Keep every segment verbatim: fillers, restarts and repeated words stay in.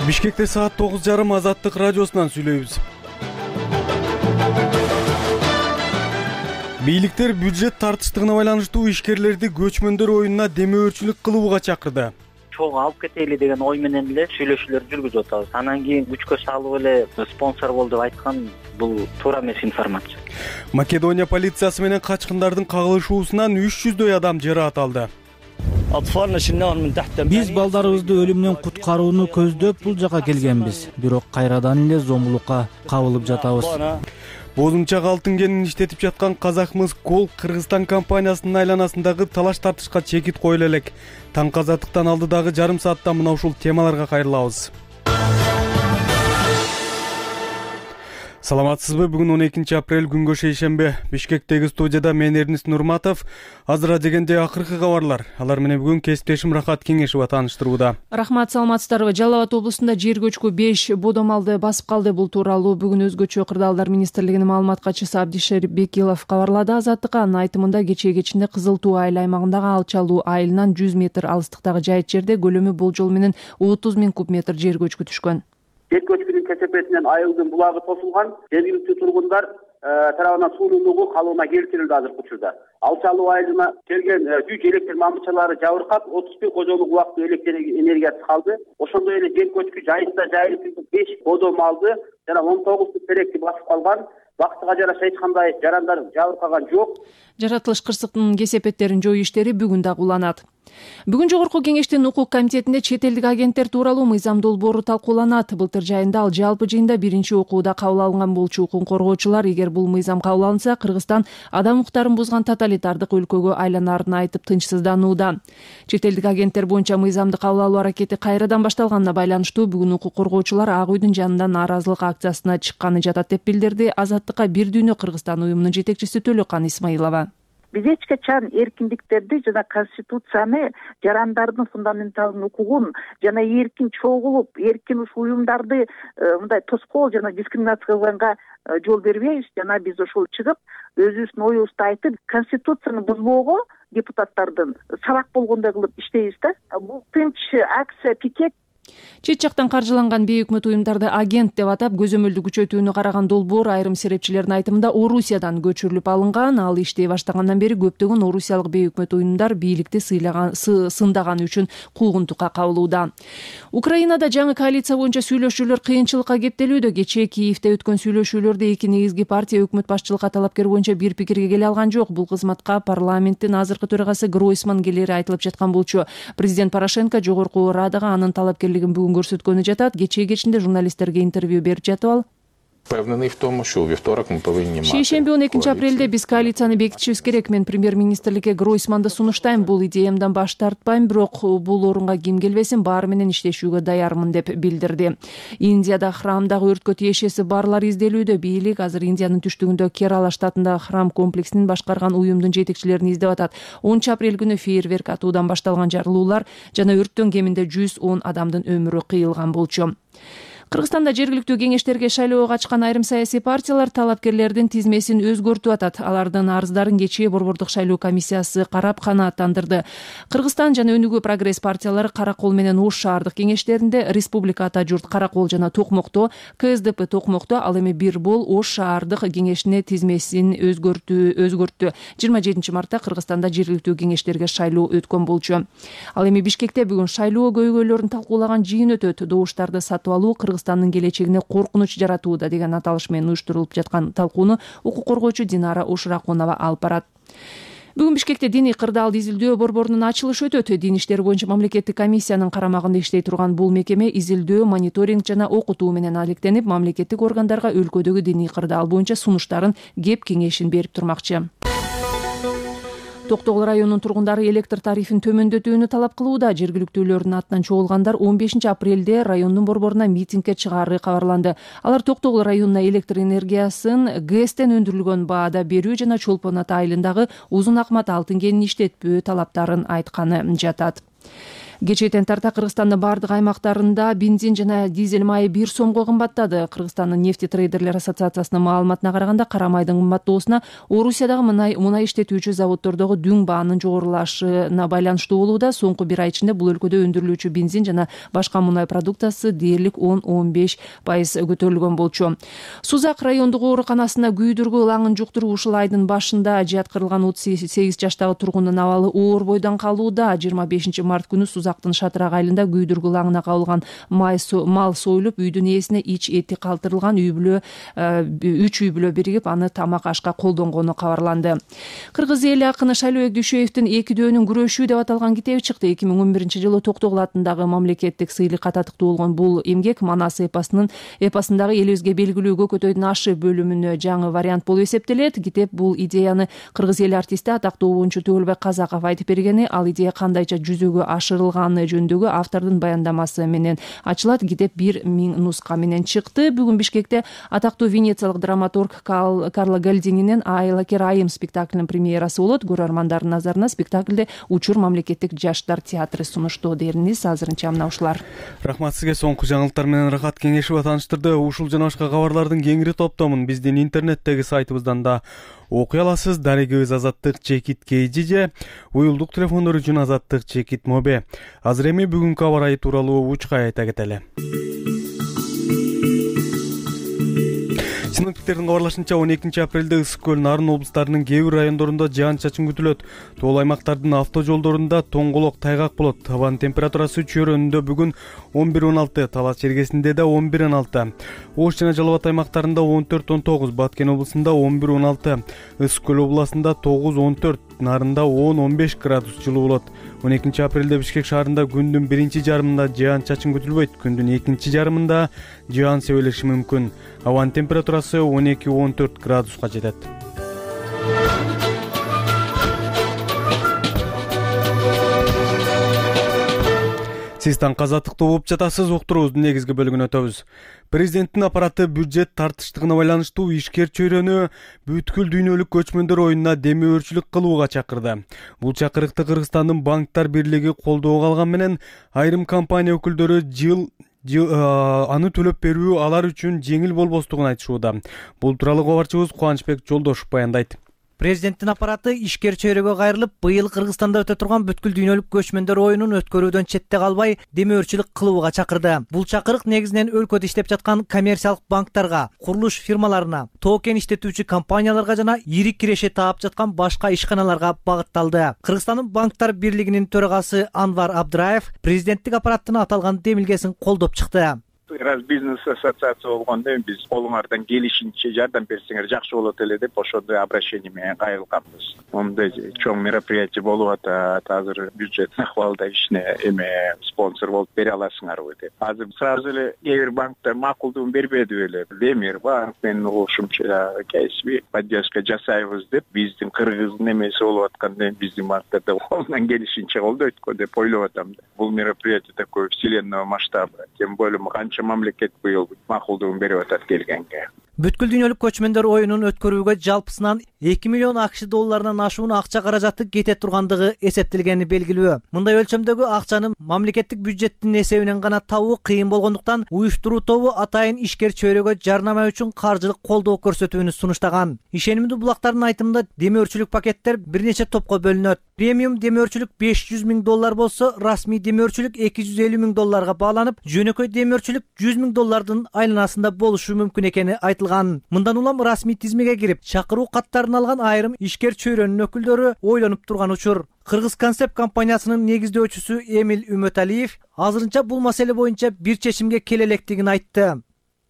Бишкекте саат тогуз жарым Азаттык радиосунан сүйлөйбүз. Бийликтер бюджет тартыштыгына байланыштуу ишкерлерди көчмөндөр оюнуна демөөрчүлүк кылууга чакырды. Чогуу алып кетели деген ой менен эле сүйлөшүүлөр жүргүзүп атабыз. Анан кийин күчкө салып эле спонсор бол деп айткан бул туура эмес информация. Македония полициясы менен качкындардын кагылышуусунан үч жүздөй адам жараат алды. Биз балдарыбызды өлүмдөн куткарууну көздөп бул жака келгенбиз, бирок кайрадан эле зомбулукка кабылып жатабыз. Бозумчак алтын кенин иштетип жаткан Казахмыс Гол Кыргызстан компаниясынын айланасындагы талаш тартышка чекит коюла элек. Таңкы Азаттыктан алдыдагы жарым саатта мына ушул темаларга кайрылабыз. Саламатсызбы? Бүгүн он экинчи апрель күнгө шейшембе. Бишкектеги студияда мен Эрнис Нурматов. Азыр дегенде акыркы кабарлар. Алар менен бүгүн кесиптешим Рахат Кеңешова тааныштырууда. Рахмат, саламатсыздарбы? Жалал Абад облусунда жер көчкү беш бодо малды басып калды. Бул тууралуу бүгүн өзгөчө кырдаалдар министрлигинин маалымат катчысы Абдишер Бекилов кабарлады Азаттыкка. Анын айтымында кечээ кечинде Кызыл Туу айыл аймагындагы Алчалуу айылынан жүз метр алыстыктагы жайыт жерде көлөмү болжол менен отуз миң куб метр жер көчкү түшкөн. Жер көчкүнүн кесепетинен айылдын булагы тосулган, жергиликтүү тургундар тарабынан суунун угу калыбына келтирилди азыркы учурда. Алчалуу айылына келген жүз электр мамычалары жабыркап, отуз бир кожолук убактылуу электр энергиясы калды. Ошондой эле жер көчкү жайытта жайылып беш бодо малды жана он тогуз теректи басып калган. Бактыга жараша эч кандай жарандар жабыркаган жок. Жаратылыш кырсыктын кесепеттерин жоюу иштери бүгүн дагы уланат. Бүгүн жогорку кеңештин укук комитетинде чет элдик агенттер тууралуу мыйзам долбоору талкууланат. Былтыр жайында ал жалпы жыйында биринчи окууда кабыл алынган болчу. Укук коргоочулар эгер бул мыйзам кабыл алынса, Кыргызстан адам укуктарын бузган тоталитардык өлкөгө айланарын айтып тынчсызданууда. Чет элдик агенттер боюнча мыйзамды кабыл алуу аракети кайрадан башталганына байланыштуу бүгүн укук коргоочулар Ак үйдүн жанынан нааразылык акциясына чыкканы жатат деп билдирди. Азаттыкка Бир дүйнө Кыргызстан уюмунун жетекчиси Төлөкан Исмаилова. Биз эч качан эркиндиктерди жана конституцияны, жарандардын фундаменталдык укугун жана эркин чогулуп, эркин ушул уюмдарды мындай тоскоол жана дискриминация кылганга жол бербейбиз. Жана биз ошол чыгып, өзүбүздүн оюбузду айтып, конституцияны бузбоого депутаттардын сабак болгондой кылып иштейбиз да. Бул тынч акция, пикет. Чет жактан каржыланган бейөкмөт уюмдарды агент деп атап, көзөмөлдү күчөтүүнү караган долбоор айрым серепчилердин айтымында Орусиядан көчүрүлүп алынган. Ал иштей баштагандан бери көптөгөн орусиялык бейөкмөт уюмдар бийликти сыйлаган сындаганы үчүн куугунтукка кабылууда. Украинада жаңы коалиция боюнча сүйлөшүүлөр кыйынчылыкка кептелүүдө. Кечээ Киевде өткөн сүйлөшүүлөрдө эки негизги партия өкмөт башчылыкка талапкер боюнча бир пикирге келе алган жок. Бул кызматка парламенттин азыркы төрагасы Гройсман келери айтылып жаткан болчу. Президент Порошенко жогорку Радага анын талапкерлигин бүгүн көрсөткөнү жатат. Кечээ кечинде журналисттерге интервью берип жатып ал Впевнений в тому, що у вівторок ми повинні мати. Шейшемби он экинчи апрелде биз коалицияны бекитишибиз керек. Мен премьер-министрликке Гройсманды сунуштайм. Бул идеямдан баш тартпайм, бирок бул орунга ким келбесин баары менен иштешүүгө даярмын деп билдирди. Индияда храмдагы өрткө тиешеси барлар изделүүдө. Бийлик азыр Индиянын түштүгүндө Керала штатындагы храм комплексин башкарган уюмдун жетекчилерин издеп атат. онунчу апрель күнү фейерверк атуудан башталган жарылуулар жана өрттөн кеминде жүз он адамдын өмүрү кыйылган болчу. Кыргызстанда жергиликтүү кеңештерге шайлоого катышкан айрым саясий партиялар талапкерлердин тизмесин өзгөртүп атат. Алардын арыздарын кечээ Борбордук шайлоо комиссиясы карап канааттандырды. Кыргызстан жана Өнүгүү прогресс партиялары Каракол менен Ош шаардык кеңештеринде, Республика Ата журт Каракол жана Токмокто, Ка Эс Д П Токмокто, ал эми Бир бол Ош шаардык кеңешине тизмесин өзгөртүү өзгөрттү. жыйырма жетинчи мартта Кыргызстанда жергиликтүү кеңештерге шайлоо өткөн болчу. Ал эми Бишкекте бүгүн шайлоо көйгөйлөрүн талкуулаган жыйын өтөт. Добуштарды сатып алуу Кыргызстандын келечегине коркунуч жаратууда деген аталыш менен уюштурулуп жаткан талкууну укук коргоочу Динара Ушракунова алып барат. Бүгүн Бишкекте диний кырдаалды изилдөө борборунун ачылышы өтөт. Дин иштери боюнча мамлекеттик комиссиянын карамагында иштей турган бул мекеме изилдөө, мониторинг жана окутуу менен алектенип, мамлекеттик органдарга өлкөдөгү диний кырдаал боюнча сунуштарын, кеп кеңешин берип турмакчы. Токтогул районунун тургундары электр тарифин төмөндөтүүнү талап кылууда. Жергиликтүүлөрдүн атынан чогулгандар он бешинчи апрелде райондун борборуна митингге чыгаары кабарланды. Алар Токтогул районуна электр энергиясын ГЭСтен өндүрүлгөн баада берүү жана Чолпон Ата айылындагы Узун Акмат алтын кенин иштетпөө талаптарын айтканы жатат. Кечээден тарта Кыргызстандын бардык аймактарында бензин жана дизель майы бир сомго кымбаттады. Кыргызстандын нефтетрейдерлер ассоциациясынын маалыматына караганда кара майдын кымбаттоосуна Орусиядагы мынай мунай иштетүүчү заводдордогу дүң баанын жогорулашына байланыштуу болууда. Соңку бир ай ичинде бул өлкөдө өндүрүлүүчү бензин жана башка мунай продукциясы дээрлик он он беш пайыз көтөрүлгөн болчу. Сузак райондук ооруканасында күйдүргү ылаңын жуктуруп ушул айдын башында жаткырылган отуз сегиз жаштагы тургундун абалы оор бойдон калууда. жыйырма бешинчи март күнү Сузактын Шатырак айылында күйдүргү ылаңына кабылган мал союлуп, үйдүн ээсине ич эти калтырылган. Үй бүлө үч үй бүлө биригип аны тамак ашка колдонгону кабарланды. Кыргыз эли акыны Шайлообек Дүйшөевдин эки дөөнүн күрөшүү деп аталган китеби чыкты. эки миң он биринчи жылы Токтогул атындагы мамлекеттик сыйлыкка татыктуу болгон бул эмгек Манас эпосунун эпосундагы элибизге белгилүү Көкөтөйдүн ашы бөлүмүнө жаңы вариант болуп эсептелет. Китеп бул идеяны кыргыз эл артисти атактуу обончу Төөлбек Казаков айтып бергени, ал идея кандайча жүзөгө ашырылганы жөнүндөгү автордун баяндамасы менен ачылат. Китеп бир миң нуска менен чыкты. Бүгүн Бишкекте атактуу венециялык драматург Карло Гальдининин Айлакер айым спектаклинин премьерасы болот. Көрөрмандардын назарына спектаклде Учур мамлекеттик жаштар театры сунуштоо дерниз. Азырынча мына ушулар. Рахмат сизге. Соңку жаңылыктар менен Рахат Кеңешева тааныштырды. Ушул жана башка кабарлардын кеңири топтомун биздин интернеттеги сайтыбыздан да окуй аласыз. Дарегибиз Азаттык чекит kg же уюлдук телефондор үчүн Азаттык чекит мобе. Азыр эми бүгүнкү аба ырайы тууралуу учка айта кетели. Синоптиктердин кабарлашынча он экинчи апрелде Ысык көл, Нарын облустарынын кээ бир райондорунда жаан-чачын күтүлөт. Тоол аймактардын автожолдорунда тоңголок тайгак болот. Абанын температурасы чөйрөнүндө бүгүн он бир он алты, Талас чергесинде да он бир он алты. Ош жана Жалал Абад аймактарында он төрт он тогуз, Баткен облусунда он бир он алты, Ысык көл областында тогуз он төрт, Нарында он он беш градус жылуу болот. он экинчи апрелде Бишкек шаарында күндүн биринчи жарымында жаан-чачын күтүлбөйт. Күндүн экинчи жарымында жаан себелеши мүмкүн. Абанын температурасы он эки он төрт градуска жетет. Сиз таңкы азаттыкта угуп жатасыз. Уктуруубуздун негизги бөлүгүнө өтөбүз. Президенттин аппараты бюджет тартыштыгына байланыштуу ишкер чөйрөнү бүткүл дүйнөлүк көчмөндөр оюнуна демөөрчүлүк кылууга чакырды. Бул чакырыкты Кыргызстандын банктар бирлиги колдоого алган менен айрым компания өкүлдөрү жыл аны төлөп берүү алар үчүн жеңил болбостугун айтышууда. Бул тууралуу кабарчыбыз Кубанычбек Жолдошов баяндайт. Президенттин аппараты ишкер чөйрөгө кайрылып, быйыл Кыргызстанда өтө турган бүткүл дүйнөлүк көчмөндөр оюнун өткөрүүдөн четте калбай, демөөрчүлүк кылууга чакырды. Бул чакырык негизинен өлкөдө иштеп жаткан коммерциялык банктарга, курулуш фирмаларына, токен иштетүүчү компанияларга жана ири киреше таап жаткан башка ишканаларга багытталды. Кыргызстандын банктар бирлигинин төрагасы Анвар Абдраев президенттик аппараттын аталган демилгесин колдоп чыкты. Раз бизнес ассоциация болгондо биз колуңардан келишинче жардам берсеңер жакшы болот эле деп ошондой обращение менен кайрылганбыз. Мындай чоң мероприятие болуп атат. Азыр бюджет акыбалда ишине эме спонсор болуп бере аласыңарбы деп. Азыр сразу эле кээ бир банктар макулдугун бербеди беле. Демир банк менин угушумча кесиби поддержка жасайбыз деп, биздин кыргыздын эмеси болуп атканда биздин банктарда колунан келишинче колдойт го деп ойлоп атам. Бул мероприятие такой вселенного масштаба. Тем более канча мамлекет быйыл макулдугун берип атат келгенге. Бүткүл дүйнөлүк көчмөндөр оюнун өткөрүүгө жалпысынан эки миллион акш долларынан ашуун акча каражаты кете тургандыгы эсептелгени белгилүү. Мындай өлчөмдөгү акчаны мамлекеттик бюджеттин эсебинен гана табуу кыйын болгондуктан уюштуруу тобу атайын ишкер чөйрөгө жарнама үчүн каржылык колдоо көрсөтүүнү сунуштаган. Ишенимдүү булактардын айтымында демөөрчүлүк пакеттер бир нече топко бөлүнөт. Премиум демөөрчүлүк беш жүз миң доллар болсо, расмий демөөрчүлүк эки жүз элүү миң долларга бааланып, жөнөкөй демөөрчүлүк жүз миң доллардын айланасында болушу мүмкүн экени айтылган. Мындан улам расмий тизмеге кирип, чакыруу каттарын алган айрым ишкер чөйрөнүн өкүлдөрү ойлонуп турган учур. Кыргыз концепт компаниясынын негиздөөчүсү Эмил Үмөталиев азырынча бул маселе боюнча бир чечимге келе электигин айтты.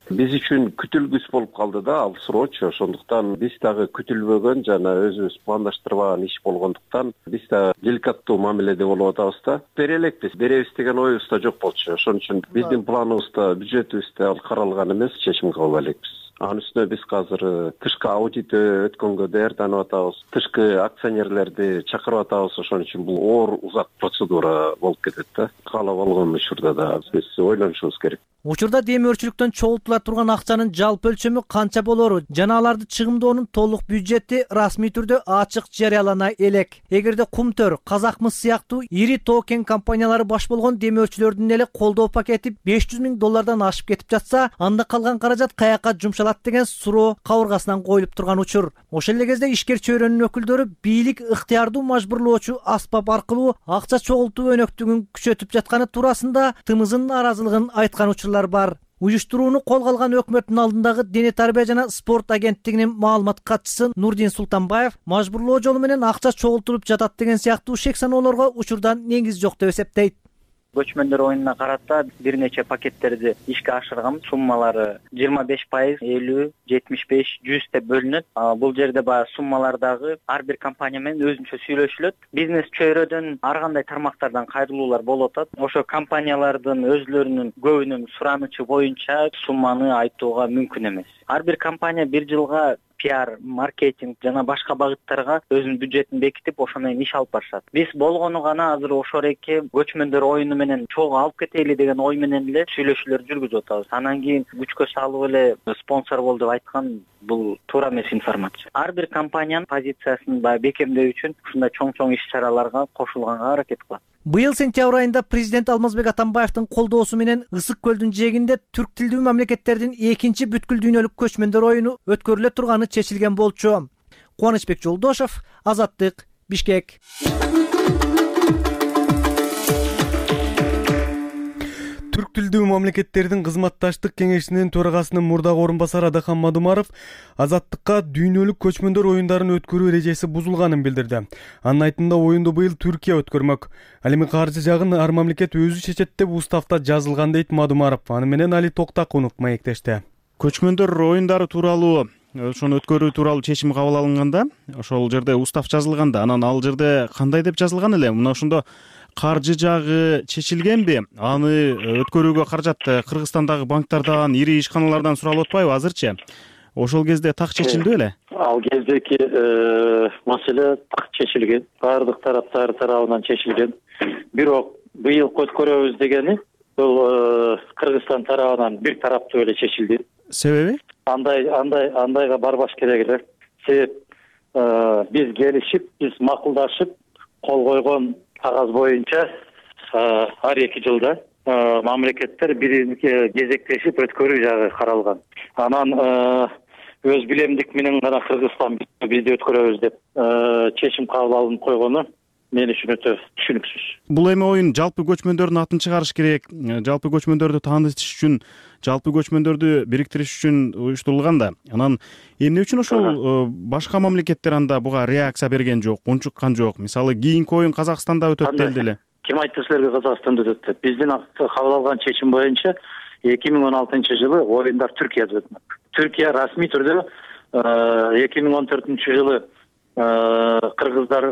Биз үчүн күтүлгүс болуп калды да, ал срочу. Ошондуктан биз дагы күтүлбөгөн жана өзүбүз пландаштырбаган иш болгондуктан биз да деликаттуу мамиледе болуп атабыз да. Бере элекпиз, беребиз деген оюбузда жок болчу. Ошон үчүн биздин планыбызда, бюджетибизде ал каралган эмес, чечим кабыл элекпиз. Анын үстүнө биз азыр тышкы аудит өткөнгө даярданып атабыз. Тышкы акционерлерди чакырып атабыз. Ошон үчүн бул оор узак процедура болуп кетет да. Каалап алган учурда да биз ойлонушубуз керек. Учурда демөөрчүлүктөн чогултула турган акчанын жалпы өлчөмү канча болору жана аларды чыгымдоонун толук бюджети расмий түрдө ачык жарыялана элек. Эгерде Кумтөр, Казакмыс сыяктуу ири тоо кен компаниялары баш болгон демөөрчүлөрдүн эле колдоо пакети беш жүз миң доллардан ашып кетип жатса, анда калган каражат каяка жумшалат деген суроо кабыргасынан коюлуп турган учур. Ошол эле кезде ишкер чөйрөнүн өкүлдөрү бийлик ыктыярдуу мажбурлоочу аспап аркылуу акча чогултуу өнөктүгүн күчөтүп жатканы туурасында тымызын нааразылыгын айткан учурлар бар. Уюштурууну колго алган өкмөттүн алдындагы дене тарбия жана спорт агенттигинин маалымат катчысы Нурдин Султанбаев мажбурлоо жолу менен акча чогултулуп жатат деген сыяктуу шек саноолорго учурдан негиз жок деп эсептейт. Көчмөндөр оюнуна карата бир нече пакеттерди ишке ашыргам. Суммалары жыйырма беш пайыз, элүү, жетимиш беш, жүз деп бөлүнөт. Бул жерде баягы суммалардагы ар бир компания менен өзүнчө сүйлөшүлөт. Бизнес чөйрөдөн ар кандай тармактардан кайрылуулар болуп атат. Ошо компаниялардын өзлөрүнүн көбүнүн суранычы боюнча сумманы айтууга мүмкүн эмес. Ар бир компания бир жылга пиар, маркетинг жана башка багыттарга өзүнүн бюджетин бекитип, ошо менен иш алып барышат. Биз болгону гана азыр ошол эки көчмөндөр оюну менен чогуу алып кетели деген ой менен эле сүйлөшүүлөр жүргүзүп атабыз. Анан кийин күчкө салып эле спонсор бол деп айткан бул туура эмес информация. Ар бир компаниянын позициясын баягы бекемдөө үчүн ушундай чоң-чоң иш-чараларга кошулганга аракет кылат. Быйыл сентябрь айында президент Алмазбек Атамбаевдин колдоосу менен Ысык көлдүн жээгинде түрк тилдүү мамлекеттердин экинчи бүткүл дүйнөлүк көчмөндөр оюну өткөрүлө турганы чечилген болчу. Кубанычбек Жолдошов, Азаттык, Бишкек. Түрк тилдүү мамлекеттердин кызматташтык кеңешинин төрагасынын мурдагы орун басары Адахан Мадумаров Азаттыкка дүйнөлүк көчмөндөр оюндарын өткөрүү эрежеси бузулганын билдирди. Анын айтымында оюнду быйыл Түркия өткөрмөк. Ал эми каржы жагын ар мамлекет өзү чечет деп уставта жазылган дейт Мадумаров. Аны менен Али Токтакунов маектешти. Көчмөндөр оюндары тууралуу ошону өткөрүү тууралуу чечим кабыл алынганда, ошол жерде устав жазылганда, анан ал жерде кандай деп жазылган эле? Мына ошондо каржы жагы чечилгенби? Аны өткөрүүгө каражат Кыргызстандагы банктардан, ири ишканалардан суралып атпайбы азырчы? Ошол кезде так чечилди беле? Ал кездеки маселе так чечилген, баардык тараптар тарабынан чечилген. Бирок быйыл өткөрөбүз дегени бул Кыргызстан тарабынан бир тараптуу эле чечилди. Себеби? Андай андай андайга барбаш керек эле. Себеп биз келишип, биз макулдашып кол койгон кагаз боюнча ар эки жылда мамлекеттер бириники кезектешип өткөрүү жагы каралган. Анан өз билемдик менен гана Кыргызстан бизди өткөрөбүз деп чечим кабыл алынып койгону мен үчүн өтө түшүнүксүз. Бул эми оюн жалпы көчмөндөрдүн атын чыгарыш керек, жалпы көчмөндөрдү таанытыш үчүн, жалпы көчмөндөрдү бириктириш үчүн уюштурулган да. Анан эмне үчүн ошол башка мамлекеттер анда буга реакция берген жок, унчуккан жок? Мисалы, кийинки оюн Казакстанда өтөт делди эле. Ким айтты силерге Казакстанда өтөт деп? Биздин кабыл алган чечим боюнча эки миң он алтынчы жылы оюндар Түркияда өтмөк. Түркия расмий түрдө эки миң он төртүнчү жылы кыргыздар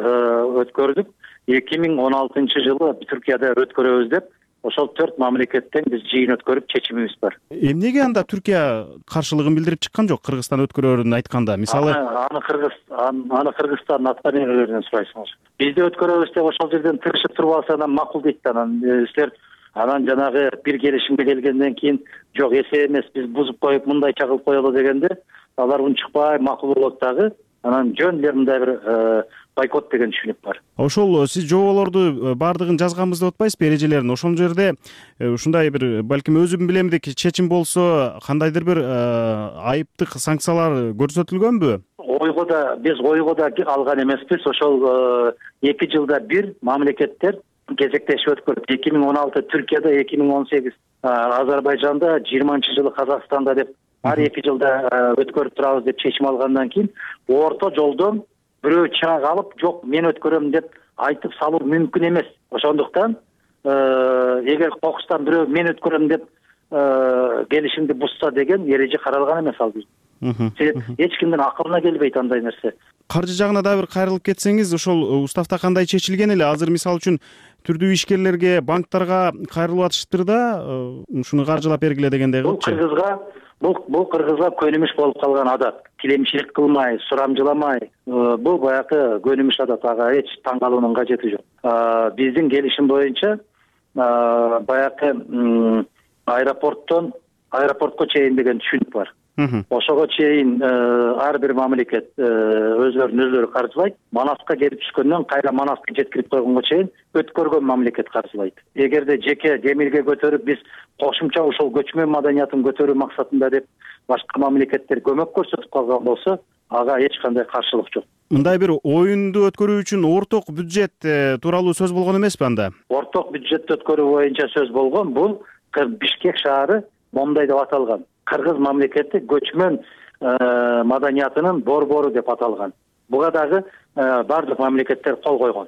өткөрдүк. эки миң он алтынчы жылы Түркияда өткөрөбүз деп ошол төрт мамлекеттен биз жыйын өткөрүп чечимибиз бар. Эмнеге анда Түркия каршылыгын билдирип чыккан жок Кыргызстан өткөрөрүн айтканда? Мисалы, аны Кыргыз аны Кыргызстан аткаминерлеринен сурайсыңыз. Бизди өткөрөбүз деп ошол жерден тырышып туруп алса, анан макул дейт да. Анан силер анан жанагы бир келишимге келгенден кийин жок эсе эмес, биз бузуп коюп мындайча кылып коелу дегенде алар унчукпай макул болот дагы. Анан жөн эле мындай бир бойкот деген түшүнүк бар. Ошол сиз жоболорду баардыгын жазганбыз деп атпайсызбы, эрежелерин? Ошол жерде ушундай бир балким өзүм билемдик чечим болсо, кандайдыр бир айыптык санкциялар көрсөтүлгөнбү? Ойго да биз ойго да алган эмеспиз. Ошол эки жылда бир мамлекеттер кезектешип өткөрдүк. эки миң он алты Түркияда, эки миң он сегиз Азербайжанда, жыйырманчы жылы Казакстанда деп ар эки жылда өткөрүп турабыз деп чечим алгандан кийин орто жолдон бирөө чаак алып, жок мен өткөрөм деп айтып салуу мүмкүн эмес. Ошондуктан эгер кокустан бирөө мен өткөрөм деп келишимди бузса деген эреже каралган эмес ал. эч кимдин акылына келбейт андай нерсе. Каржы жагына да бир кайрылып кетсеңиз, ошол уставда кандай чечилген эле? Азыр мисалы үчүн түрдүү ишкерлерге, банктарга кайрылып атышыптыр да, ушуну каржылап бергиле дегендей кылыпчы. Бул кыргызга бул бул кыргызга көнүмүш болуп калган адат. Тилемчилик кылмай, сурамжыламай, бул баягы көнүмүш адат, ага эч таң калуунун кажети жок. Биздин келишим боюнча баягы аэропорттон аэропортко чейин деген түшүнүк бар. Ошого чейин ар бир мамлекет өзлөрүнүн өзлөрү каржылайт. Манаска келип түшкөндөн кайра Манаска жеткирип койгонго чейин өткөргөн мамлекет каржылайт. Эгерде жеке демилге көтөрүп биз кошумча ушул көчмөн маданиятын көтөрүү максатында деп башка мамлекеттер көмөк көрсөтүп калган болсо, ага эч кандай каршылык жок. Мындай бир оюнду өткөрүү үчүн орток бюджет тууралуу сөз болгон эмеспи анда? Орток бюджетти өткөрүү боюнча сөз болгон. Бул Бишкек шаары Момдай деп аталган. Кыргыз мамлекети көчмөн маданиятынын борбору деп аталган. Буга дагы бардык мамлекеттер кол койгон.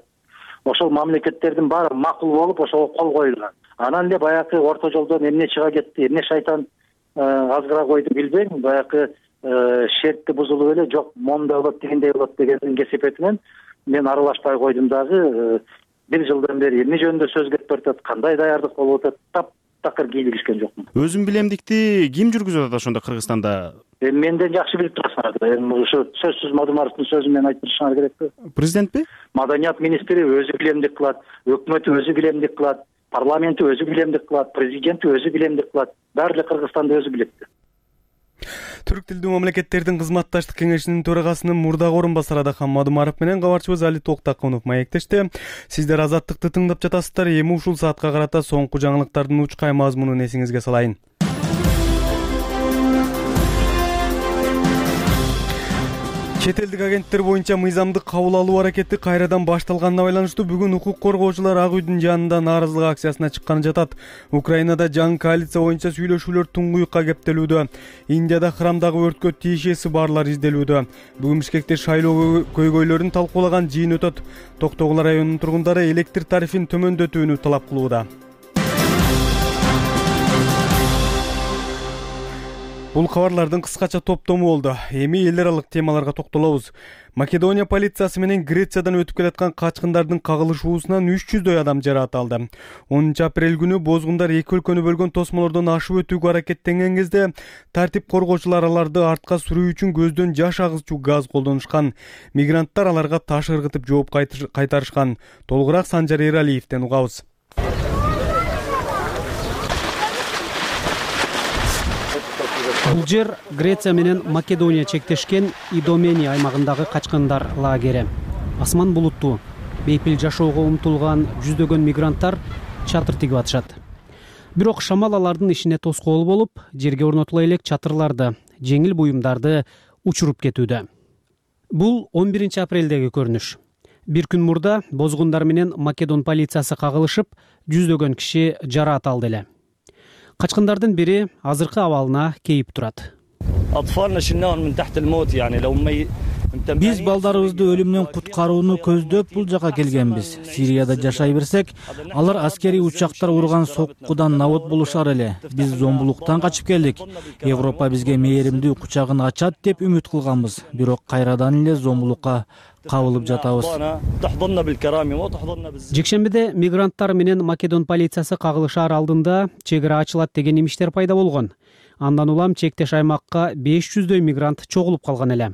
Ошол мамлекеттердин баары макул болуп ошого кол коюлган. Анан эле баягы орто жолдон эмне чыга кетти, эмне шайтан азгыра койду билбейм. Баягы шертти бузулуп эле жок момундай болот дегендей болот дегендин кесепетинен мен аралашпай койдум дагы. Бир жылдан бери эмне жөнүндө сөз кетип атат, кандай даярдык болуп атат, тап такыр кийлигишкен жокмун. Өзүн билемдикти ким жүргүзүп атат ошондо Кыргызстанда? Менден жакшы билип турасыңар. Эми ушу сөзсүз Мадумаровдун сөзүн мен айтып турушуңар керекпи? Президентпи? Маданият министри өзү билемдик кылат, өкмөтү өзү билемдик кылат, парламенти өзү билемдик кылат, президенти өзү билемдик кылат. Баары эле Кыргызстанда өзү билет. Түрк тилдүү мамлекеттердин кызматташтык кеңешинин төрагасынын мурдагы орун басары Адахан Мадумаров менен кабарчыбыз Али Токтакунов маектешти. Сиздер Азаттыкты тыңдап жатасыздар. Эми ушул саатка карата соңку жаңылыктардын учкай мазмунун эсиңизге салайын. Чет элдик агенттер боюнча мыйзамдык кабыл алуу аракети кайрадан башталганына байланыштуу бүгүн укук коргоочулар Ак үйдүн жанында нааразылык акциясына чыкканы жатат. Украинада жаңы коалиция боюнча сүйлөшүүлөр туңгуюкка кептелүүдө. Индияда храмдагы өрткө тиешеси барлар изделүүдө. Бүгүн Бишкекте шайлоо көйгөйлөрүн талкуулаган жыйын өтөт. Токтогул районунун тургундары электр тарифин төмөндөтүүнү талап кылууда. Бул кабарлардын кыскача топтому болду. Эми эл аралык темаларга токтолобуз. Македония полициясы менен Грециядан өтүп келаткан качкындардын кагылышуусунан үч жүздөй адам жаракат алды. онунчу апрель күнү бозгундар эки өлкөнү бөлгөн тосмолордон ашып өтүүгө аракеттенген кезде тартип коргоочулар аларды артка сүрүү үчүн көздөн жаш агызчу газ колдонушкан. Мигранттар аларга таш ыргытып жооп кайтарышкан. Толугураак Санжар Эралиевден угабыз. Бул жер Греция менен Македония чектешкен Идомени аймагындагы качкындар лагери. Асман булуттуу, бейпил жашоого умтулган жүздөгөн мигранттар чатыр тигип атышат. Бирок шамал алардын ишине тоскоол болуп, жерге орнотула элек чатырларды, жеңил буюмдарды учуруп кетүүдө. Бул он биринчи апрелдеги көрүнүш. Бир күн мурда бозгундар менен Македон полициясы кагылышып, жүздөгөн киши жараат алды эле. Качкындардын бири азыркы абалына кейип турат. Биз балдарыбызды өлүмдөн куткарууну көздөп бул жака келгенбиз. Сирияда жашай берсек, алар аскерий учактар урган соккудан набут болушар эле. Биз зомбулуктан качып келдик. Европа бизге мээримдүү кучагын ачат деп үмүт кылганбыз. Бирок кайрадан эле зомбулукка кабылып жатабыз. Жекшембиде мигранттар менен Македон полициясы кагылышаар алдында чек ара ачылат деген имиштер пайда болгон. Андан улам чектеш аймакка беш жүздөй мигрант чогулуп калган эле.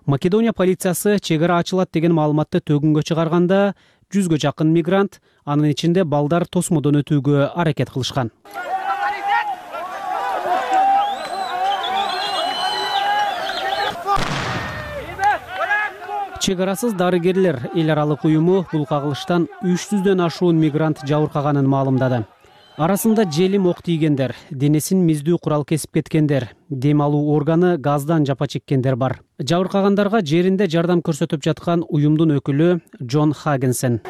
Македония полициясы чек ара ачылат деген маалыматты төгүнгө чыгарганда жүзгө жакын мигрант, анын ичинде балдар тосмодон өтүүгө аракет кылышкан. Чек арасыз дарыгерлер эл аралык уюму бул кагылыштан үч жүздөн ашуун мигрант жабыркаганын маалымдады. Арасында желим ок тийгендер, денесин миздүү курал кесип кеткендер, дем алуу органы газдан жапа чеккендер бар. Жабыркагандарга жеринде жардам көрсөтүп жаткан уюмдун өкүлү Джон Хагенсен.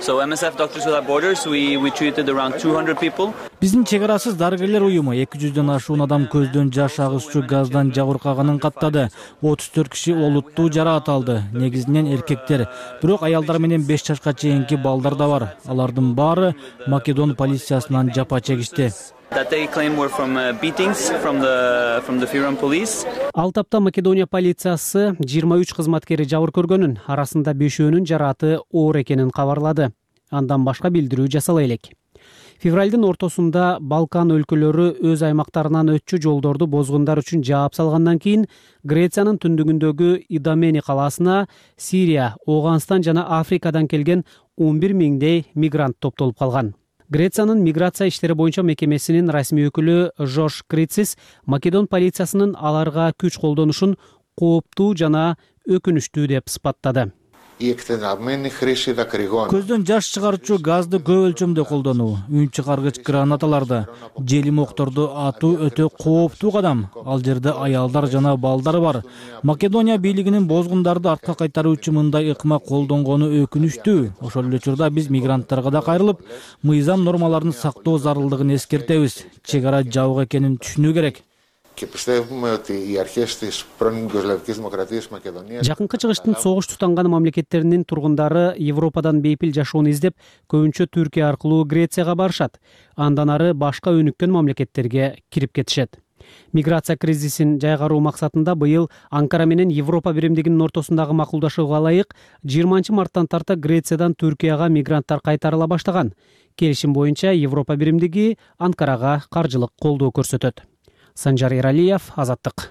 Биздин чек арасыз дарыгерлер уюму эки жүздөн ашуун адам көздөн жаш агызчу газдан жабыркаганын каттады. отуз төрт киши олуттуу жараат алды. Негизинен эркектер, бирок аялдар менен беш жашка чейинки балдар да бар. Алардын баары Македон полициясынан жапа чегишти. Ал тапта Македония полициясы жыйырма үч кызматкери жабыр көргөнүн, арасында бешөөнүн жарааты оор экенин кабарлады. Андан башка билдирүү жасала элек. Февралдын ортосунда Балкан өлкөлөрү өз аймактарынан өтчү жолдорду бозгундар үчүн жаап салгандан кийин Грециянын түндүгүндөгү Идомени калаасына Сирия, Ооганстан жана Африкадан келген он бир миңдей мигрант топтолуп калган. Грециянын миграция иштери боюнча мекемесинин расмий өкүлү Жош Крицис Македон полициясынын аларга күч колдонушун кооптуу жана өкүнүчтүү деп сыпаттады. Көздөн жаш чыгарчу газды көп өлчөмдө колдонуу, үн чыгаргыч гранаталарды, желим окторду атуу өтө кооптуу кадам. Ал жерде аялдар жана балдар бар. Македония бийлигинин бозгундарды артка кайтаруучу мындай ыкма колдонгону өкүнүчтүү. Ошол эле учурда биз мигранттарга да кайрылып, мыйзам нормаларын сактоо зарылдыгын эскертебиз. Чек ара жабык экенин түшүнүү керек. Жакынкы чыгыштын согуш тутанган мамлекеттеринин тургундары Европадан бейпил жашоону издеп, көбүнчө Түркия аркылуу Грецияга барышат. Андан ары башка өнүккөн мамлекеттерге кирип кетишет. Миграция кризисин жайгаруу максатында быйыл Анкара менен Европа биримдигинин ортосундагы макулдашууга ылайык жыйырманчы марттан тарта Грециядан Түркияга мигранттар кайтарыла баштаган. Келишим боюнча Европа биримдиги Анкарага каржылык колдоо көрсөтөт. Санжар Иралиев, Азаттык.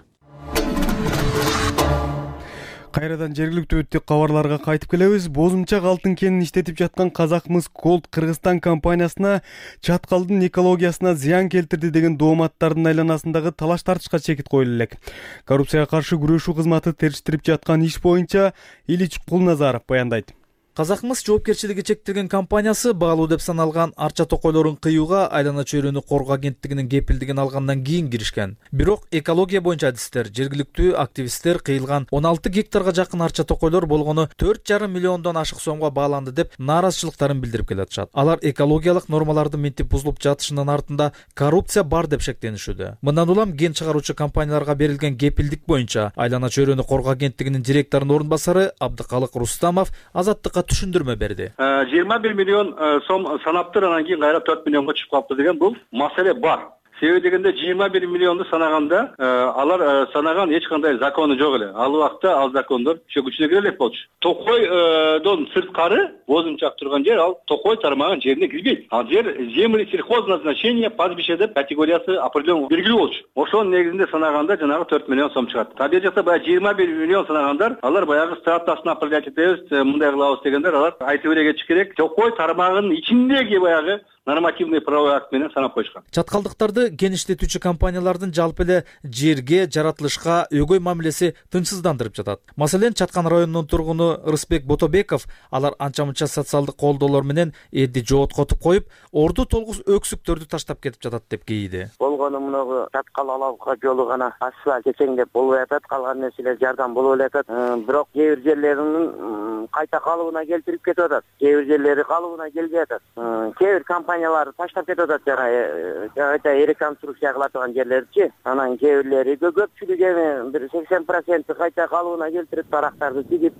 Кайрадан жергиликтүү өттүк кабарларга кайтып келебиз. Бозумчак алтын кенин иштетип жаткан Казакмыс Gold Кыргызстан компаниясына чаткалдын экологиясына зыян келтирди деген дооматтардын айланасындагы талаш тартышка чекит коюлу элек. Коррупцияга каршы күрөшүү кызматы териштирип жаткан иш боюнча Илич Кулназаров баяндайт. Казакмыс жоопкерчилиги чектелген компаниясы баалуу деп саналган арча токойлорун кыюуга айлана чөйрөнү коргоо агенттигинин кепилдигин алгандан кийин киришкен. Бирок экология боюнча адистер, жергиликтүү активисттер кыйылган он алты гектарга жакын арча токойлор болгону төрт жарым миллиондон ашык сомго бааланды деп нааразычылыктарын билдирип келатышат. Алар экологиялык нормаларды минтип бузулуп жатышынын артында коррупция бар деп шектенишүүдө. Мындан улам ген чыгаруучу компанияларга берилген кепилдик боюнча айлана чөйрөнү коргоо агенттигинин директорунун орун басары Абдыкалык Рустамов Азаттыкка түшүндүрмө берди. жыйырма бир миллион сом санаптыр, анан кийин кайра төрт миллионго чыгып калыптыр деген бул маселе бар. Себеби дегенде жыйырма бир миллионду санаганда алар санаган эч кандай закону жок эле. Ал убакта ал закондор ишке күчүнө кире элек болчу. Токойдон сырткары бозумчак турган жер ал Токой тармаган жерине кирбейт. Ал жер земли сельхозназначения пастбище деп категориясы определен белгилүү болчу. Ошонун негизинде санаганда жанагы төрт миллион сом чыгат. Табиғи жакта баягы жыйырма бир миллион санагандар, алар баягы статусын определять этебиз, мындай кылабыз дегендер, алар айтып эле кетиш керек. Токой тармагынын ичиндеги баягы нормативный правовой акт менен санап коюшкан. Чаткалдыктарды кен иштетүүчү компаниялардын жалпы эле жерге, жаратылышка өгөй мамилеси тынчсыздандырып жатат. Маселен, Чаткан районунун тургуну Рысбек Ботобеков алар анча-мынча социалдык колдоолор менен элди жооткотуп коюп, орду толгус өксүктөрдү таштап кетип жатат деп кейиди. Болгону мунагу Чаткал Алабка жолу гана асфальт кечеңдеп болуп атат, калган нерселер жардам болуп атат. Бирок кээ бир жерлеринин кайта калыбына келтирип кетип атат. Кээ бир жерлери калыбына келбей атат. Кээ бир компаниялар таштап кетип атат, жана реконструкция кыла турган жерлерчи. Анан кээ бирлери көпчүлүгү эми бир сексен проценти кайта калыбына келтирип, тарактарды тигип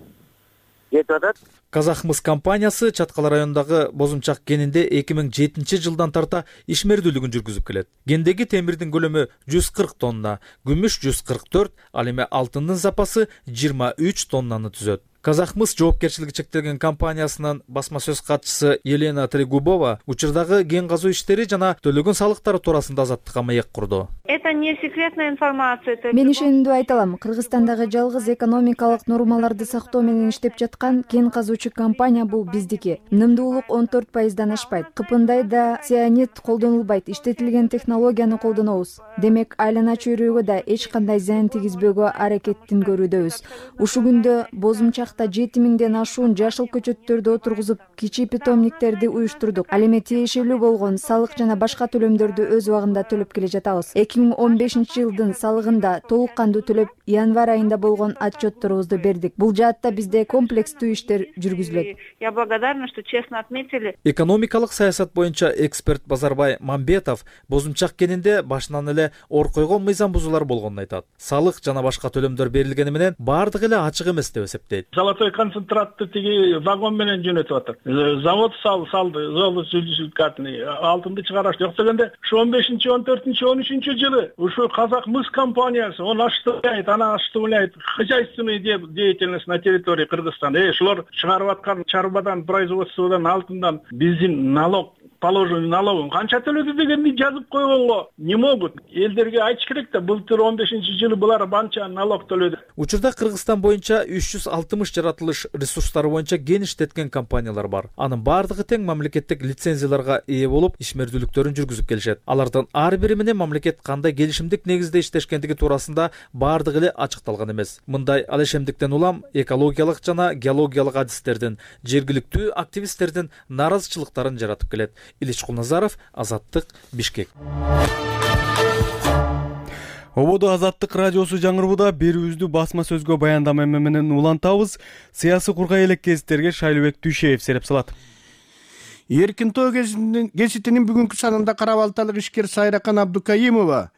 кетип атат. Казакмыс компаниясы Чаткал районундагы бозумчак кенинде эки миң жетинчи жылдан тарта ишмердүүлүгүн жүргүзүп келет. Кендеги темирдин көлөмү жүз кырк тонна, күмүш жүз кырк төрт, ал эми алтындын запасы жыйырма үч тоннаны түзөт. Казакмыс жоопкерчилиги чектелген компаниясынын басма сөз катчысы Елена Трегубова учурдагы кен казуу иштери жана төлөгөн салыктары туурасында Азаттыкка маек курду. Это не секретная информация. Мен ишендүү айта алам. Кыргызстандагы жалгыз экономикалык нормаларды сактоо менен иштеп жаткан кен казуучу компания бул биздики. Нымдуулук он төрт пайыздан ашпайт. Кыпындайда цианид колдонулбайт. Иштетилген технологияны колдонобуз. Демек, айлана чөйрөгө да эч кандай зыян тийгизбөөгө аракеттин көрүүдөбүз. Ушул күндө бозумчак жети миңден ашуун жашыл көчөттөрдү отургузуп, кичи питомниктерди уюштурдук. Ал эми тиешелүү болгон салык жана башка төлөмдөрдү өз убагында төлөп келе жатабыз. эки эки миң он бешинчи жылдын салыгында толук кандуу төлөп январь айында болгон отчетторубузду бердик. Бул жаатта бизде комплекстүү иштер жүргүзүлөт. Я благодарна, что честно отметили. Экономикалык саясат боюнча эксперт Базарбай Мамбетов бозумчак кенинде башынан эле ор койгон мыйзам бузуулар болгонун айтат. Салык жана башка төлөмдөр берилгени менен бардыгы эле ачык эмес деп эсептейт. Золотой концентратты тиги вагон менен жөнөтүп атат. Завод сал салды, золотый алтынды чыгараш жок дегенде, ушу он бешинчи, он төртүнчү, он үчүнчү жылы ушу Казак мыс компаниясы, он осуществляет, она осуществляет хозяйственную деятельность на территории Кыргызстана. Э, шулар чыгарып аткан чарбадан, производстводан, алтындан биздин налог положенный налогун канча төлөдү дегенди жазып койгонго не могут. Элдерге айтыш керек да, былтыр он бешинчи жылы булар банча налог төлөдү. Учурда Кыргызстан боюнча үч жүз алтымыш жаратылыш ресурстары боюнча геништеткен компаниялар бар. Анын бардыгы тең мамлекеттик лицензияларга ээ болуп, ишмердүүлүктөрүн жүргүзүп келишет. Алардын ар бири менен мамлекет кандай келишимдик негизде иштешкендиги туурасында бардыгы эле ачыкталган эмес. Мындай алешемдиктен улам экологиялык жана геологиялык адистердин, жергиликтүү активисттердин нааразычылыктарын жаратып келет. Илич Кулназаров, Азаттык, Бишкек. Ободо Азаттык радиосу жаңырууда берүүбүздү басма сөзгө баяндама менен улантабыз. Саясий кургай элек кезиттерге Шайлыбек Дүйшеев сереп салат. Эркинтоо гезитинин бүгүнкү санында кара балталык ишкер Сайракан Абдукаимова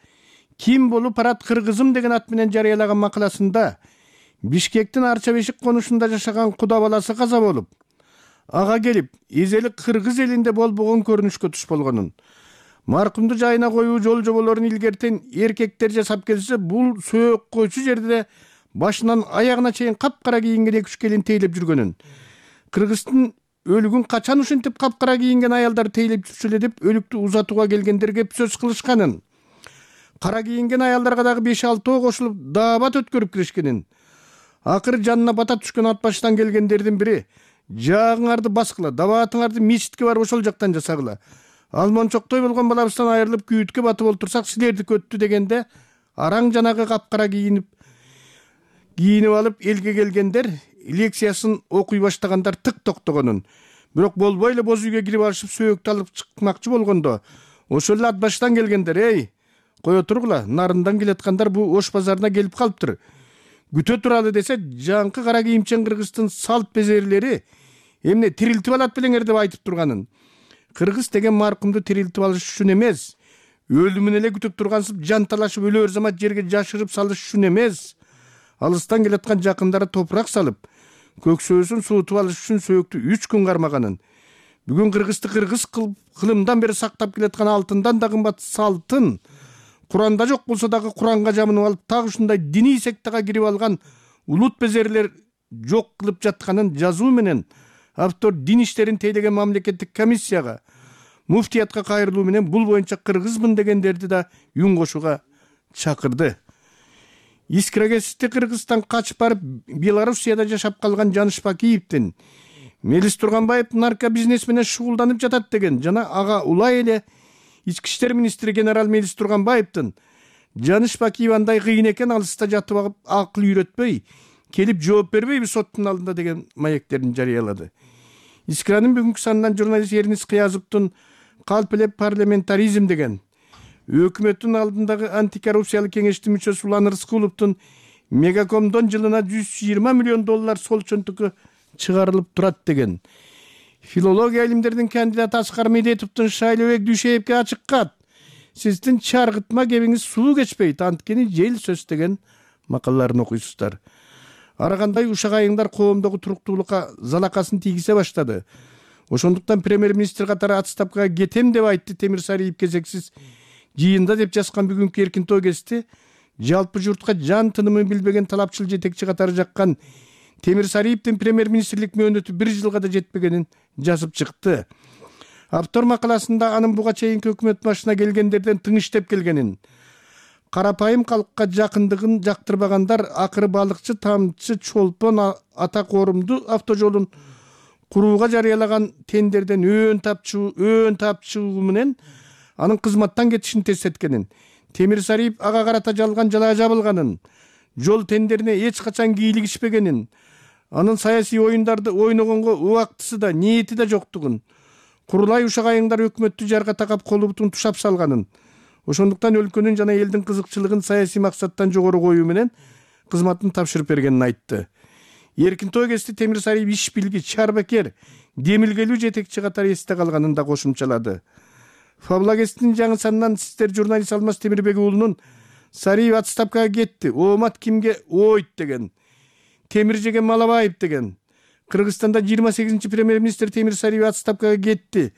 ким болуп барат кыргызым деген ат менен жарыялаган макаласында Бишкектин Арча Бешик конушунда жашаган куда баласы каза болуп, ага келип, изелик кыргыз элинде болбогон көрүнүшкө туш болгонун, маркумду жайына коюу жол жоболорун илгертен эркектер жасап келсе, бул сөөк койчу жерде башынан аягына чейин капкара кийинген эки үч келин тейлеп жүргөнүн, Кыргыздын өлүгүн качан ушинтип капкара кийинген аялдар тейлеп жүрчү эле деп өлүктү узатууга келгендерге сөз кылышканын, кара кийинген аялдарга дагы беш алтоо кошулуп даабат өткөрүп киришкенин, акыры жанына бата түшкөн ат баштан келгендердин бири жаагыңарды баскыла, дабаатыңарды мечитке барып ошол жактан жасагыла, ал мончоктой болгон балабыздан айрылып күйүткө батып олтурсак силерди көттү дегенде, араң жанагы капкара кийинип кийинип алып элге келгендер лекциясын окуй баштагандар тык токтогонун, бирок болбой эле боз үйгө кирип алышып сөөктү алып чыкмакчы болгондо, ошол эле ат баштан келгендер, эй, кое тургула, нарындан келаткандар бу Ош базарына келип калыптыр, күтө туралы десе, жаңкы кара кийимчен Кыргыздын салт безерлери эмне тирилтип алат белеңер деп айтып турганын. Кыргыз деген маркумду тирилтип алыш үчүн эмес, өлүмүн эле күтүп тургансып жан талашып өлөр замат жерге жашырып салыш үчүн эмес, алыстан келаткан жакындары топурак салып, көксөөсүн суутуп алыш үчүн сөөктү үч күн кармаганын. Бүгүн Кыргызды кыргыз кылымдан бери сактап келаткан алтындан да кымбат салтын, Куранда жок болсо дагы Куранга жамынып алып, так ушундай диний сектага кирип алган улут безерлер жок кылып жатканын жазуу менен автор дин иштерин тейлеген мамлекеттик комиссияга, муфтиятка кайрылуу менен бул боюнча кыргызмын дегендерди да үн кошууга чакырды. Искрагести Кыргызстан качып барып Белоруссияда жашап калган Жаныш Бакиевдин Мелис Турганбаев нарко бизнес менен шугулданып жатат деген жана ага улай эле Ички иштер министри генерал Мелис Турганбаевдин Жаныш Бакиев андай кыйын экен, алыста жатып алып акыл үйрөтпөй, келип жооп бербейби соттун алдында деген маектерин жарыялады. Искранын бүгүнкү санынан журналист Эрнис Кыязовдун калп эле парламентаризм деген, өкмөттүн алдындагы антикоррупциялык кеңештин мүчөсү Улан Рыскуловдун Мегакомдон жылына жүз жыйырма миллион доллар сол чөнтүккө чыгарылып турат деген, филология илимдеринин кандидаты Аскар Медетовдун Шайлыбек Дүйшеевке ачык кат, сиздин чаргытма кебиңиз суу кечпейт, анткени жел сөз деген макалаларын окуйсуздар. Ар кандай ушак айыңдар коомдогу туруктуулукка залакасын тийгизе баштады. Ошондуктан премьер-министр катары отставкага кетем деп айтты Темир Сариев кезексиз жыйында деп жазган бүгүнкү Эркинтоо гезити, жалпы журтка жан тынымын билбеген талапчыл жетекчи катары жаккан Темир Сариевдин премьер-министрлик мөөнөтү бир жылга да жетпегенин жазып чыкты. Автор макаласында анын буга чейинки өкмөт башына келгендерден тың иштеп келгенин, карапайым калкка жакындыгын жактырбагандар акыры балыкчы, тамчы, чолпон ата коорумду автожолун курууга жарыялаган тендерден өөн тапчу, өөн тапчуу менен анын кызматтан кетишин тездеткенин, Темир Сариев ага карата жалган жала жабылганын, жол тендерине эч качан кийлигишпегенин, анын саясий оюндарды ойногонго убактысы да, ниети да жоктугун, курулай ушак айыңдар өкмөттү жарга такап колу бутун тушап салганын, ошондуктан өлкөнүн жана элдин кызыкчылыгын саясий максаттан жогору коюу менен кызматын тапшырып бергенин айтты. Эркинтой КЭСти Темир Сариев иш билгич, чарбакер, демилгелүү жетекчи катары эсте калганын да кошумчалады. Фабла КЭСтин жаңы санынан сиздер журналист Алмаз Темирбек уулунун Сариев отставкага кетти, оомат кимге ойт деген, темир жеген Малабаев деген. Кыргызстанда жыйырма сегизинчи премьер-министр Темир Сариев отставкага кетти.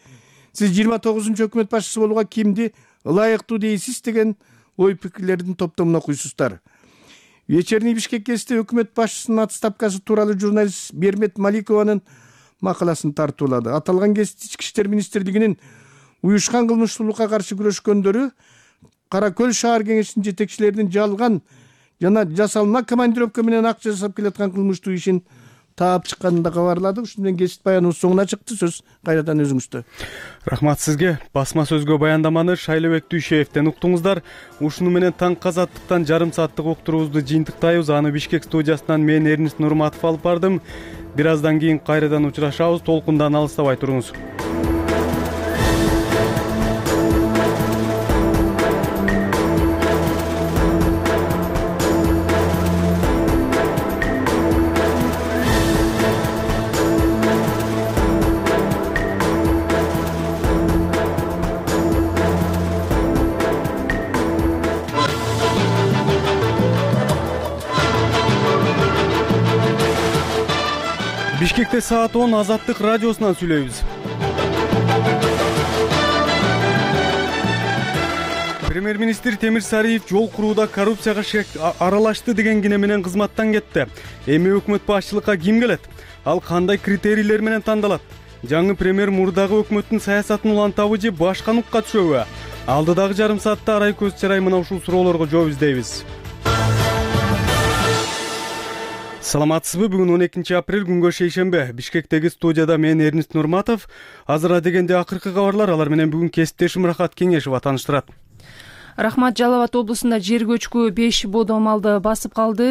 Сиз жыйырма тогузунчу өкмөт башчысы болууга кимди ылайыктуу дейсиз деген ой пикирлердин топтомун окуйсуздар. Вечерний Бишкек КЭСти өкмөт башчысынын отставкасы тууралуу журналист Бермет Маликованын макаласын тартуулады. Аталган КЭС Ички иштер министрлигинин уюшкан кылмыштуулукка каршы күрөшкөндөрү Кара Көл шаар кеңешинин жетекчилеринин жалган жана жасалма командировка менен акча жасап келаткан кылмыштуу ишин таап чыкканын да кабарлады. Ушун менен кесип баяныбыз соңуна чыкты. Сөз кайрадан өзүңүздө. Рахмат сизге. Басма сөзгө баяндаманы Шайлебек Дүйшеевден уктуңуздар. Ушуну менен таңкы азаттыктан жарым сааттык уктуруубузду жыйынтыктайбыз. Аны Бишкек студиясынан мен Эрнис Нурматов алып бардым. Бир аздан кийин кайрадан учурашабыз. Толкундан алыстабай туруңуз. Бишкекте саат он Азаттык радиосунан сүйлөйбүз. Премьер-министр Темир Сариев жол курууда коррупцияга аралашты деген кине менен кызматтан кетти. Эми өкмөт башчылыкка ким келет? Ал кандай критерийлер менен тандалат? Жаңы премьер мурдагы өкмөттүн саясатын улантабы же башка нукка түшөбү? Алдыдагы жарым саатта арай көз чарай мына ушул суроолорго жооп издейбиз. Саламатсызбы? Бүгүн он экинчи апрель күнгө шейшембе. Бишкектеги студияда мен Эрнис Нурматов. Азыр дегенде акыркы кабарлар, алар менен бүгүн кесиптешим Рахат Кеңешова тааныштырат. Рахмат. Жалал Абад облусунда жер көчкү беш бодо малды басып калды.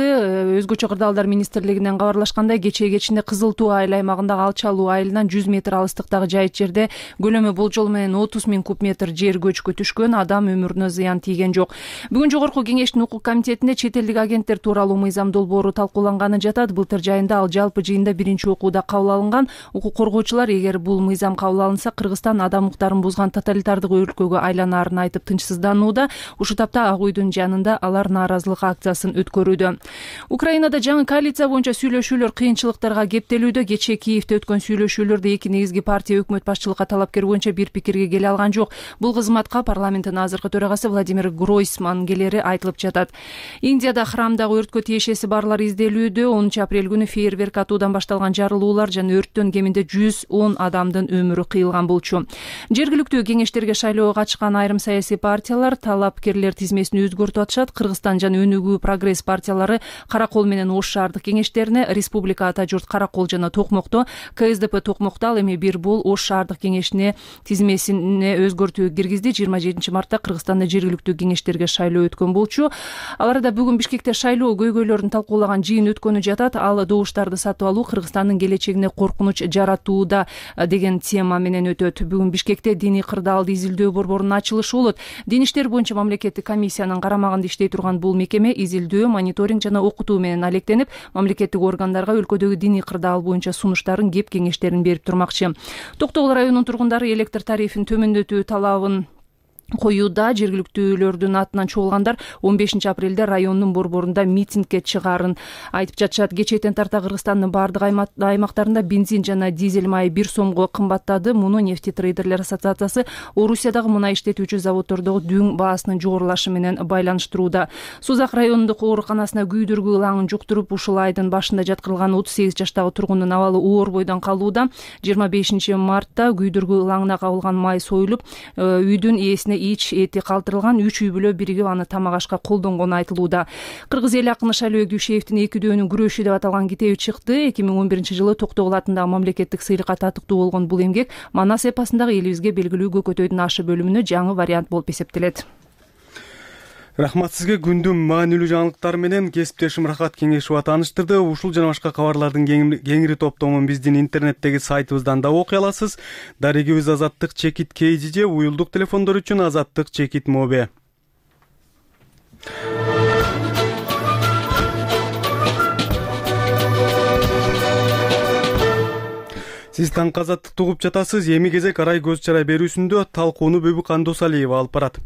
Өзгөчө кырдаалдар министрлигинен кабарлашкандай, кечээ кечинде Кызыл Туу айыл аймагындагы Алчалуу айылынан жүз метр алыстыктагы жайыт жерде көлөмү болжол менен отуз миң куб метр жер көчкү түшкөн. Адам өмүрүнө зыян тийген жок. Бүгүн жогорку кеңештин укук комитетинде чет элдик агенттер тууралуу мыйзам долбоору талкууланганы жатат. Былтыр жайында ал жалпы жыйында биринчи окууда кабыл алынган. Укук коргоочулар эгер бул мыйзам кабыл алынса, Кыргызстан адам укуктарын бузган тоталитардык өлкөгө айланаарын айтып тынчсызданууда. Ушул тапта Ак Үйдүн жанында алар нааразылык акциясын өткөрүүдө. Украинада жаңы коалиция боюнча сүйлөшүүлөр кыйынчылыктарга кептелүүдө. Кечээ Киевде өткөн сүйлөшүүлөрдө эки негизги партия өкмөт башчылыкка талапкер боюнча бир пикирге келе алган жок. Бул кызматка парламенттин азыркы төрагасы Владимир Гройсман келери айтылып жатат. Индияда храмдагы өрткө тиешеси барлар изделүүдө. онунчу апрель күнү фейерверк атуудан башталган жарылуулар жана өрттөн кеминде жүз он адамдын өмүрү кыйылган болчу. Жергиликтүү кеңештерге шайлоого катышкан айрым саясий партиялар талапкерлер тизмесин өзгөртүп атышат. Кыргызстан жана Өнүгүү Прогресс партиялары Каракол менен Ош шаардык кеңештерине, Республика Ата журт Каракол жана Токмокто, КСДП Токмокто, ал эми Бир Бул Ош шаардык кеңешине тизмесине өзгөртүү киргизди. жыйырма жетинчи мартта Кыргызстанда жергиликтүү кеңештерге шайлоо өткөн болчу. Аларда бүгүн Бишкекте шайлоо көйгөйлөрүн талкуулаган жыйын өткөнү жатат. Ал добуштарды сатып алуу Кыргызстандын келечегине коркунуч жаратууда деген тема менен өтөт. Бүгүн Бишкекте диний кырдаалды изилдөө борборунун ачылышы болот. Дин иштер боюнча мамлекеттик комиссиянын карамагында иштей турган бул мекеме изилдөө, мониторинг жана окутуу менен алектенип, мамлекеттик органдарга өлкөдөгү диний кырдаал боюнча сунуштарын, кеп кеңештерин берип турмакчы. Токтогул районунун тургундары электр тарифин төмөндөтүү талабын коюуда. Жергиликтүүлөрдүн атынан чогулгандар он бешинчи апрелде райондун борборунда митингге чыгаарын айтып жатышат. Кечээден тарта Кыргызстандын бардык аймактарында бензин жана дизель майы бир сомго кымбаттады. Муну нефти трейдерлер ассоциациясы Орусиядагы мунай иштетүүчү заводдордогу дүң баасынын жогорулашы менен байланыштырууда. Сузак районундук ооруканасына күйдүргү ылаңын жуктуруп, ушул айдын башында жаткырылган отуз сегиз жаштагы тургундун абалы оор бойдон калууда. жыйырма бешинчи мартта күйдүргү ылаңына кабылган май союлуп, үйдүн ээсине ич эти калтырылган. Үч үй бүлө биригип аны тамак ашка колдонгону айтылууда. Кыргыз эл акыны Шайлебек Дүйшеевдин экидөөнүн күрөшү деп аталган китеби чыкты. эки миң он биринчи жылы Токтогул атындагы мамлекеттик сыйлыкка татыктуу болгон бул эмгек Манас эпосундагы элибизге белгилүү Көкөтөйдүн ашы бөлүмүнө жаңы вариант болуп эсептелет. Рахмат сизге. Күндүн маанилүү жаңылыктары менен кесиптешим Рахат Кеңешова тааныштырды. Ушул жана башка кабарлардын кеңири топтомун биздин интернеттеги сайтыбыздан да окуй аласыз. Дарегибиз Азаттык чекит кей жи же уюлдук телефондор үчүн Азаттык чекит мобе. Сиз Таңк Азаттыкты угуп жатасыз. Эми кезек арай көз чарай берүүсүндө талкууну Бөбү Кандосалиева алып барат.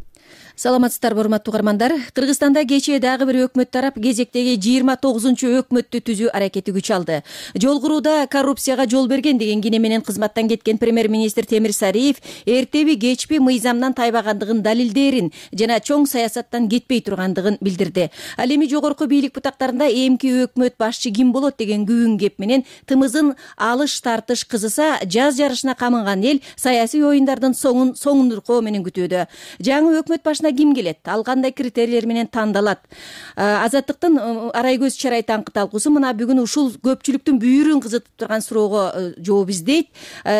Саламатсыздарбы, урматтуу угармандар. Кыргызстанда кечээ дагы бир өкмөт тарап кезектеги жыйырма тогузунчу өкмөттү түзүү аракети күч алды. Жол курууда коррупцияга жол берген деген кине менен кызматтан кеткен премьер-министр Темир Сариев эртеби кечпи мыйзамдан тайбагандыгын далилдээрин жана чоң саясаттан кетпей тургандыгын билдирди. Ал эми жогорку бийлик бутактарында эмки өкмөт башчы ким болот деген күбүн кеп менен тымызын алыш тартыш кызыса, жаз жарышына камынган эл саясий оюндардын соңун соңундуркоо менен күтүүдө. Жаңы өкмөт башына ким келет? Ал кандай критерийлер менен тандалат? Азаттыктын арай көз чарай таңкы талкуусу мына бүгүн ушул көпчүлүктүн бүйүрүн кызытып турган суроого жооп издейт.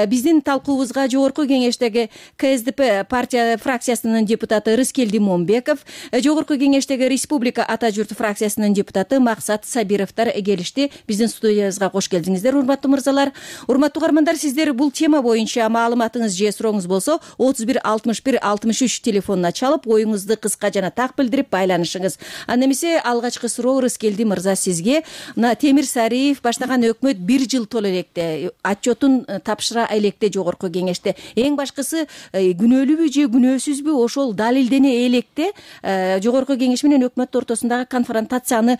Биздин талкуубузга жогорку кеңештеги ка эс дэ пэ партия фракциясынын депутаты Рыскелди Момбеков, жогорку кеңештеги Республика Ата журт фракциясынын депутаты Максат Сабировдор келишти. Биздин студиябызга кош келдиңиздер, урматтуу мырзалар. Урматтуу угармандар, сиздер бул тема боюнча маалыматыңыз же сурооңуз болсо отуз бир алтымыш бир алтымыш үч телефонуна чалып оюңузду кыска жана так билдирип байланышыңыз. Анда эмесе алгачкы суроо Рыскелди мырза сизге. Мына Темир Сариев баштаган өкмөт бир жыл толо электе, отчетун тапшыра электе жогорку кеңеште. Эң башкысы күнөөлүүбү же күнөөсүзбү ошол далилдене электе жогорку кеңеш менен өкмөт ортосундагы конфронтацияны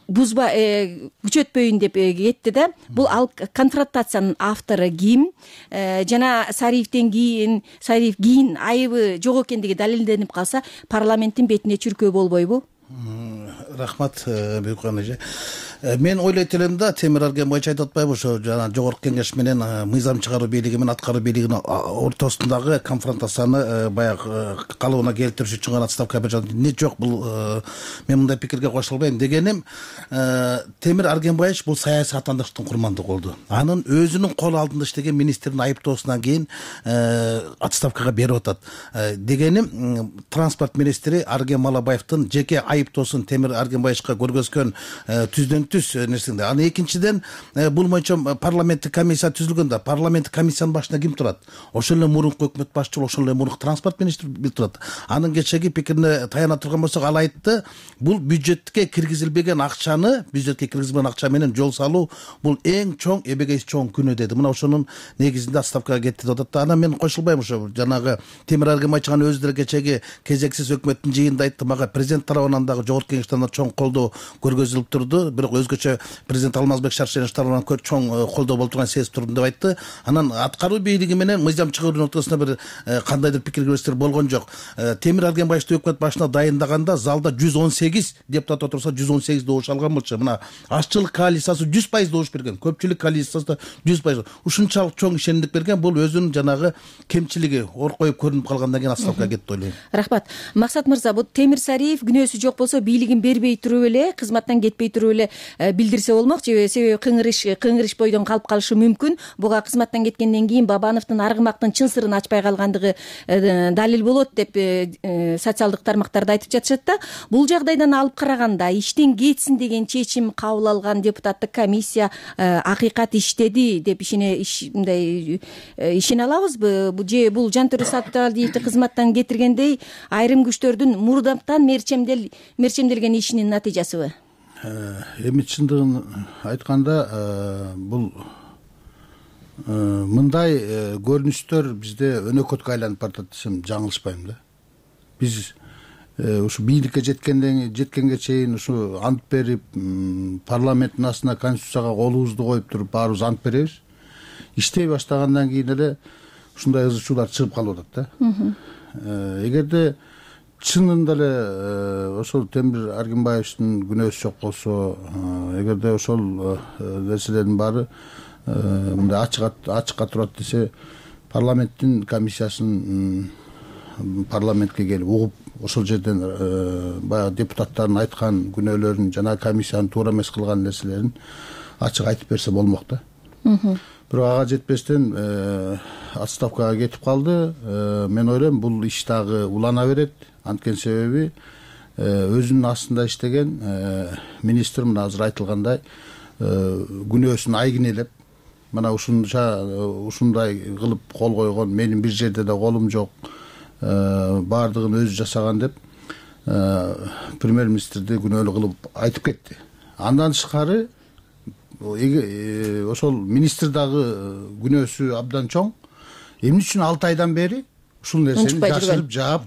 бузба күчөтпөйүн деп кетти да. Бул ал конфронтациянын автору ким? Жана Сариевден кийин Сариев кийин айыбы жок экендиги далилденип калса, парламенттин бетине чүркөө болбойбу? Рахмат, Бүйкөн эже. Мен ойлойт элем да, Темир Аргенбаевич айтып атпайбы, ошо жана жогорку кеңеш менен мыйзам чыгаруу бийлиги менен аткаруу бийлигинин ортосундагы конфронтацияны баягы калыбына келтириш үчүн гана отставка берип жатат. Не жок, бул мен мындай пикирге кошулбайм. Дегеним, Темир Аргенбаевич бул саясий атандыктын курмандыгы болду. Анын өзүнүн кол алдында иштеген министрдин айыптоосунан кийин отставкага берип атат. Дегеним, транспорт министри Арген Малабаевдин жеке айыптоосун Темир Аргенбаевичка көргөзгөн түздөн түз нерсеңде. Аны экинчиден, бул боюнча парламенттик комиссия түзүлгөн да, парламенттик комиссиянын башында ким турат? Ошол эле мурунку өкмөт башчысы, ошол эле мурунку транспорт министри турат. Анын кечеги пикирине таяна турган болсок, ал айтты, бул бюджетке киргизилбеген акчаны, бюджетке киргизилбеген акча менен жол салуу бул эң чоң, эбегейси чоң күнөө деди. Мына ошонун негизинде отставкага кетти деп атат. Анан мен кошулбайм, ошо жанагы Темир Аргенбаевич өзү деле кечеги кезексиз өкмөттүн жыйынында айтты, мага президент тарабынан дагы жогорку кеңештен чоң колдоо көргөзүлүп турду, бирок өзгөчө президент Алмазбек Шаршенович тарабынан чоң колдоо болуп турган сезип турдум деп айтты. Анан аткаруу бийлиги менен мыйзам чыгаруунун ортосунда бир кандайдыр пикир киргизиштер болгон жок. Темир Аргенбаевичти өкмөт башына дайындаганда залда жүз он сегиз депутат отурса, жүз он сегиз добуш алган болчу. Мына ашчылык коалициясы жүз пайыз добуш берген, көпчүлүк коалициясы жүз пайыз. Ушунчалык чоң ишенимдик берген, бул өзүнүн жанагы кемчилиги ор коюп көрүнүп калгандан кийин отставкага кетти ойлойм. Рахмат. Максат мырза, бул Темир Сариев күнөөсү жок болсо бийлигин бербей туруп эле, кызматтан кетпей туруп эле билдирсе болмок, же себеби кыңырыш кыңырыш бойдон калып калышы мүмкүн. Буга кызматтан кеткенден кийин Бабановдун аргымактын чын сырын ачпай калгандыгы далил болот деп социалдык тармактарда айтып жатышат да. Бул жагдайдан алып караганда иштен кетсин деген чечим кабыл алган депутаттык комиссия акыйкат иштеди деп ишене мындай ишене алабызбы? Же бул Жантөре Сатпалиевди кызматтан кетиргендей айрым күчтөрдүн мурдатан мерчемдел мерчемделген ишинин натыйжасыбы? Эми чындыгын айтканда, бул мындай көрүнүштөр бизде өнөкөткө айланып баратат десем жаңылышпайм да. Биз ушу бийликке жеткенден жеткенге чейин ушу ант берип, парламенттин астына конституцияга колубузду коюп туруп баарыбыз ант беребиз. Иштей баштагандан кийин эле ушундай ызы чуулар чыгып калып атат да. Эгерде чынында эле ошол Темир Аргенбаевичтин күнөөсү жок болсо, эгерде ошол нерселердин баары мындай ачыкка турат десе, парламенттин комиссиясын парламентке келип угуп, ошол жерден баягы депутаттардын айткан күнөөлөрүн жана комиссиянын туура эмес кылган нерселерин ачык айтып берсе болмок да. Бирок ага жетпестен отставкага кетип калды. Мен ойлойм, бул иш дагы улана берет. Анткени себеби өзүнүн астында иштеген министр мына азыр айтылгандай күнөөсүн айгинелеп, мына ушунча ушундай кылып кол койгон, менин бир жерде да колум жок, баардыгын өзү жасаган деп премьер министрди күнөөлүү кылып айтып кетти. Андан тышкары ошол министр дагы күнөөсү абдан чоң. Эмне үчүн алты айдан бери ушул нерсени жашырып жаап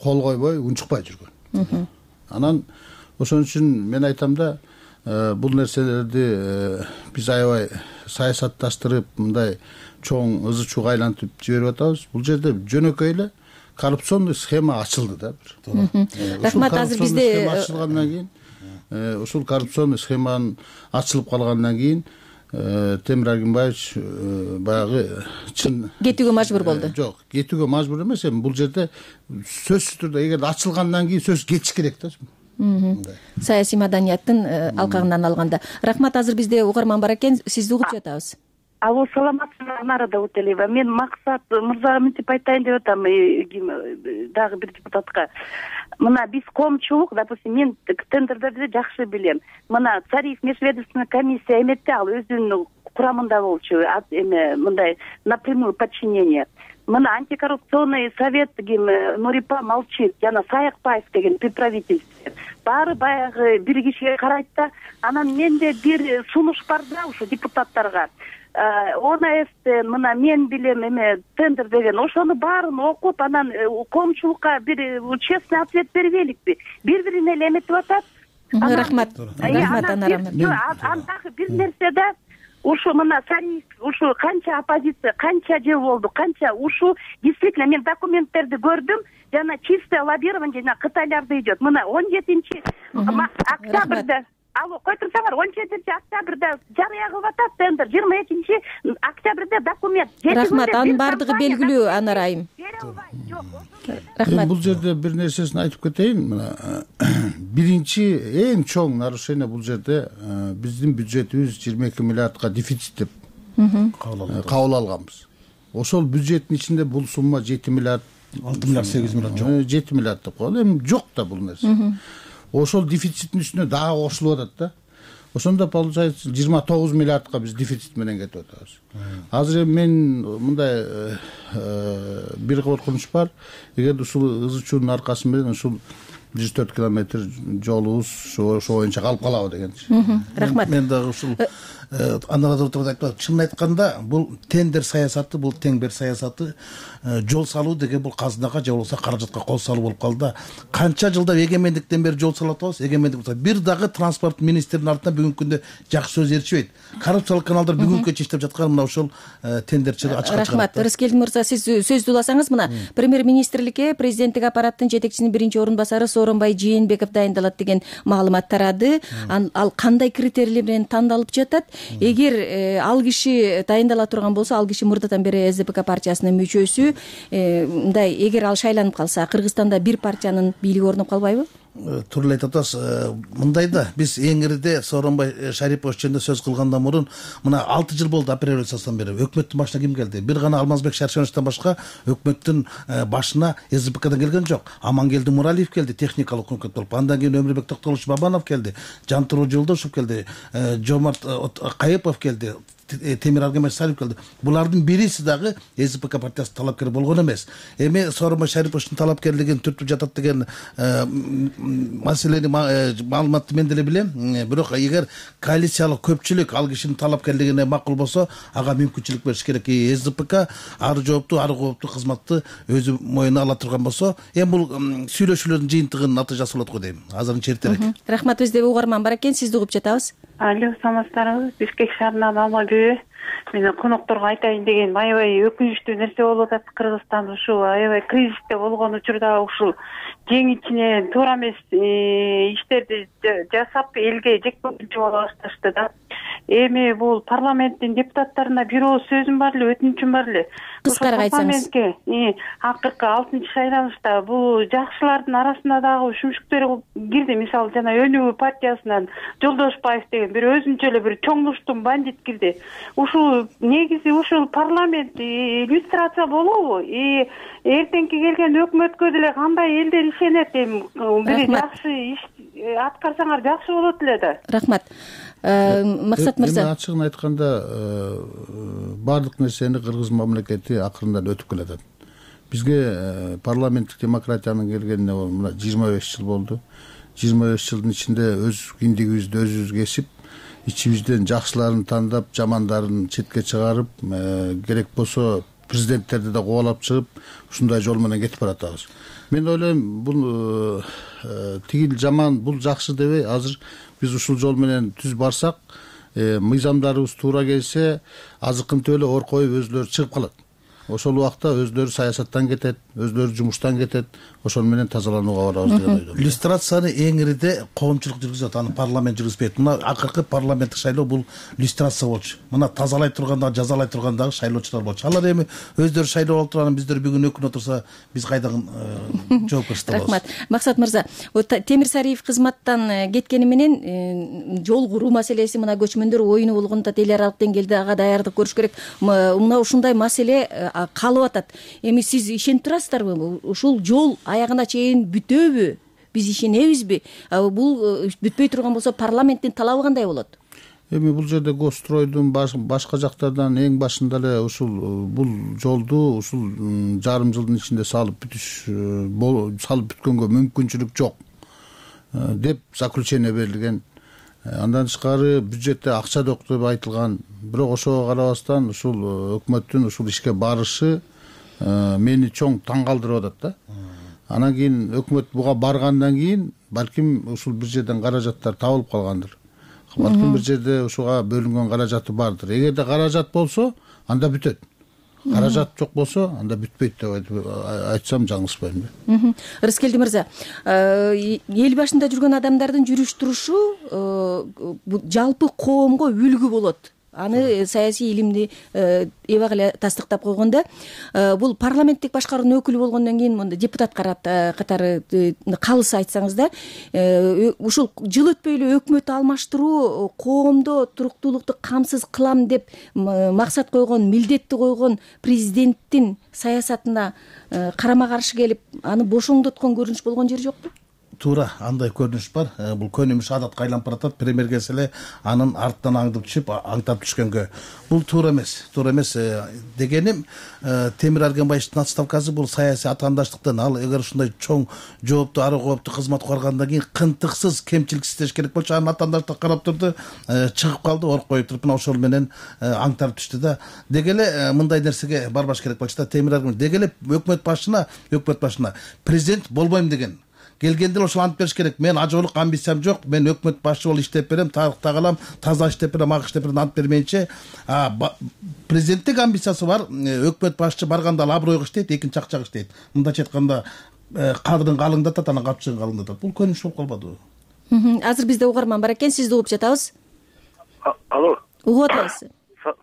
кол койбой унчукпай жүргөн. Анан ошон үчүн мен айтам да, бул нерселерди биз аябай саясатташтырып, мындай чоң ызы чууга айлантып жиберип атабыз. Бул жерде жөнөкөй эле коррупционный схема ачылды да. Рахмат. Азыр бизде ачылгандан кийин, ушул коррупционный схеманын ачылып калгандан кийин Темир Аргимбаевич баягы чын кетүүгө мажбур болду. Жок, кетүүгө мажбур эмес, эми бул жерде сөзсүз түрдө эгер ачылгандан кийин сөз кетиш керек да. Саясий маданияттын алкагынан алганда. Рахмат. Азыр бизде угарман бар экен, сизди угуп жатабыз. Алло, саламатсызбы, Анара Дауталиева. Мен Максат мырзага мынтип айтайын деп атам, дагы бир депутатка. Мына биз коомчулук, допустим, мен тендердерди жакшы билем. Мына Царев межведомственный комиссия эметти, ал өзүнүн курамында болчу, эме мындай напрямую подчинение. Мына антикоррупционный совет ким Нурипа молчит, жана Саякбаев деген при правительстве. Баары баягы бир кишиге карайт да, анан менде бир сунуш бар да ушу депутаттарга. ОНС мына мен билем эме тендер деген, ошону баарын окуп, анан коомчулукка бир честный ответ бербейликпи? Бири-бирине эле эметип атат. Рахмат. Рахмат, Анара. Андагы бир нерсе да, ушу мына Сариф, ушу канча оппозиция, канча жыл болду, канча ушу действительно мен документтерди көрдүм, жана чистое лоббирование жана Кытайларда идет. Мына он жетинчи октябрда, алло, кой турсаңар, он жетинчи октябрда жарыя кылып атат тендер, жыйырма экинчи октябрда документ. Рахмат. Анын баардыгы белгилүү, Анара айым. Рахмат. Бул жерде бир нерсесин айтып кетейин. Мына биринчи эң чоң нарушение бул жерде биздин бюджетибиз жыйырма эки миллиардка дефицит деп кабыл алганбыз. Ошол бюджеттин ичинде бул сумма жети миллиард, алты миллиард сегиз миллиард жок. жети миллиард деп коелу. Эми жок да бул нерсе. Ошол дефициттин үстүнө дагы кошулуп атат да. Ошондо получается жыйырма тогуз миллиардка биз дефицит менен кетип атабыз. Азыр мен мындай бир коркунуч бар. Эгер ушул ызы чуунун аркасы менен ушул жүз төрт километр жолубуз ошо боюнча калып калабы дегенчи. Рахмат. Мен дагы ушул Анара айтып, чынын айтканда бул тендер саясаты, бул тең бер саясаты, жол салуу деген бул казынага же болбосо каражатка кол салуу болуп калды. Канча жылда эгемендиктен бери жол салып атабыз, эгемендик болсо бир дагы транспорт министринин артынан бүгүнкү күндө жакшы сөз ээрчибейт. Коррупциялык каналдар бүгүнкү иштеп жаткан мына ошол тендерчилик ачыкка чыгат. Рахмат. Рыскелди мырза, сиз сөздү уласаңыз, мына премьер министрликке президенттик аппараттын жетекчисинин биринчи орун басары Сооронбай Жээнбеков дайындалат деген маалымат тарады. Ал кандай критерийлер менен тандалып жатат? Эгер ал киши дайындала турган болсо, ал киши мурдадан бери эс дэ пэ ка партиясынын мүчөсү, мындай эгер ал шайланып калса, Кыргызстанда бир партиянын бийлиги орноп калбайбы? Туура эле айтып атасыз. Мындай да, биз эң ириде Сооронбай Шарипович жөнүндө сөз кылгандан мурун мына алты жыл болду апрель революциясынан бери. Өкмөттүн башына ким келди? Бир гана Алмазбек Шаршеновичтен башка өкмөттүн башына эс дэ пэ кадан келген жок. Амангелди Муралиев келди, техникалык өкмөт болуп. Андан кийин Өмүрбек Токтогулович Бабанов келди, Жантуруу Жолдошев келди, Жомарт Кайыпов келди, Темир Аргимбаев келди. Булардын бириси дагы эс дэ пэ ка партиясынын талапкери болгон эмес. Эми Сооронбай Шариповичтин талапкерлигин түртүп жатат деген маселени маалыматты мен деле билем. Бирок эгер коалициялык көпчүлүк ал кишинин талапкерлигине макул болсо, ага мүмкүнчүлүк бериш керек. эс дэ пэ ка ары жоопту, ары кооптуу кызматты өзү моюнуна ала турган болсо, эми бул сүйлөшүүлөрдүн жыйынтыгынын натыйжасы болот го дейм. Азырынча эртерээк. Рахмат. Бизде угарман бар экен, сизди угуп жатабыз. Алло, саламатсыздарбы? Бишкек шаарынан Алмагүл. Мен конокторго айтайын деген аябай өкүнүчтүү нерсе болуп атат. Кыргызстан ушул аябай кризисте болгон учурда ушул жең ичинен туура эмес иштерди жасап элге жекпе-жекчи боло башташты да. Эми бул парламенттин депутаттарына бир ооз сөзүм бар эле, өтүнүчүм бар эле. Кыскараак айтсаңыз. Акыркы алтынчы шайланышта бул жакшылардын арасына дагы үшүмшүктөр кирди. Мисалы жана Өнүгүү партиясынан Жолдошбаев деген бир өзүнчө эле бир чоңдуштун бандит кирди. Ушул негизи ушул парламент иллюстрация болобу? И эртеңки келген өкмөткө деле кандай элдер ишенет? Эми бир жакшы иш аткарсаңар жакшы болот эле да. Рахмат. Максат мырза. Эми ачыгын айтканда баардык нерсени кыргыз мамлекети акырындан өтүп келатат. Бизге парламенттик демократиянын келгенине мына жыйырма беш жыл болду. жыйырма беш жылдын ичинде өз киндигибизди өзүбүз кесип, ичибизден жакшыларын тандап жамандарын четке чыгарып керек болсо президенттерди да кубалап чыгып ушундай жол менен кетип баратабыз. Мен ойлойм бул тигил жаман бул жакшы дебей азыр биз ушул жол менен түз барсак мыйзамдарыбыз туура келсе азыркынтип эле ор коюп өзүлөрү чыгып калат. Ошол убакта өзлөрү саясаттан кетет, өзлөрү жумуштан кетет, ошол менен тазаланууга барабыз деген ойдомун. Люстрацияны эң ириде коомчулук жүргүзөт, аны парламент жүргүзбөйт. Мына акыркы парламенттик шайлоо бул люстрация болчу. Мына тазалай тургандагы, жазалай тургандагы шайлоочулар болчу. Алар эми өздөрү шайлоо алып турган биздер бүгүн өкүнүп отурса, биз кайдан жоопкерчилик алабыз? Рахмат. Максат мырза, Темир Сариев кызматтан кеткени менен жол куруу маселеси, мына көчмөндөр оюну болгондо эл аралык деңгээлде ага даярдык көрүш керек. Мына ушундай маселе калып атат. Эми сиз ишенип турасыздарбы? Ушул жол аягына чейин бүтөбү? Биз ишенебизби? Бул бүтпөй турган болсо парламенттин талабы кандай болот? Эми бул жерде Госстройдун башка жактардан эң башында эле ушул бул жолду ушул жарым жылдын ичинде салып бүтүш салып бүткөнгө мүмкүнчүлүк жок деп заключение берилген. Андан тышкары бюджетте акча жок деп айтылган. Бирок ошого карабастан ушул өкмөттүн ушул ишке барышы мени чоң таң калтырып атат да. Анан кийин өкмөт буга баргандан кийин балким ушул бир жерден каражаттар табылып калгандыр. Балким бир жерде ушуга бөлүнгөн каражаты бардыр. Эгерде каражат болсо, анда бүтөт. Каражат жок болсо, анда бүтпөйт деп айтсам жаңылышпайм да. Рыскелди мырза, эл башында жүргөн адамдардын жүрүш турушу жалпы коомго үлгү болот. Аны саясий илимди эбак эле тастыктап койгондо, бул парламенттик башкаруунун өкүлү болгондон кийин монда депутат катары калыс айтсаңыз да, ушул жыл өтпөй эле өкмөт алмаштыруу коомдо туруктуулукту камсыз кылам деп максат койгон, милдетти койгон президенттин саясатына карама каршы келип, аны бошоңдоткон көрүнүш болгон жери жокпу? Туура, андай көрүнүш бар. Бул көнүмүш адатка айланып баратат. Премьер келсе эле анын артынан аңдып түшүп, аңтап түшкөнгө. Бул туура эмес. Туура эмес дегеним, Темир Аргенбаевдин отставкасы бул саясий атаандаштыктан. Ал эгер ушундай чоң жоопту, ары коопту кызмат карагандан кийин кынтыксыз, кемчиликсиз иштеш керек болчу. Анын атаандаштыгы карап турду, чыгып калды, ор коюп туруп, мына ошол менен аңтарып түштү да. Деги эле мындай нерсеге барбаш керек болчу да. Темир Аргенбаев деги эле өкмөт башына, өкмөт башына президент болбойм деген. Келгенде ошол антып бериш керек. Мен ажоолук амбициям жок. Мен өкмөт башчы болуп иштеп берем, тарыхта калам, таза иштеп берем, ак иштеп берем, антып бермейинче, президенттик амбициясы бар. Өкмөт башчы барганда ал абройго иштейт, экинчи акчага иштейт. Мындайча айтканда, кадырын калыңдатат, анан капчыгын калыңдатат. Бул көрүнүш болуп калбадыбы? Азыр бизде угарман бар экен, сизди угуп жатабыз. Алло. Угуп атабыз.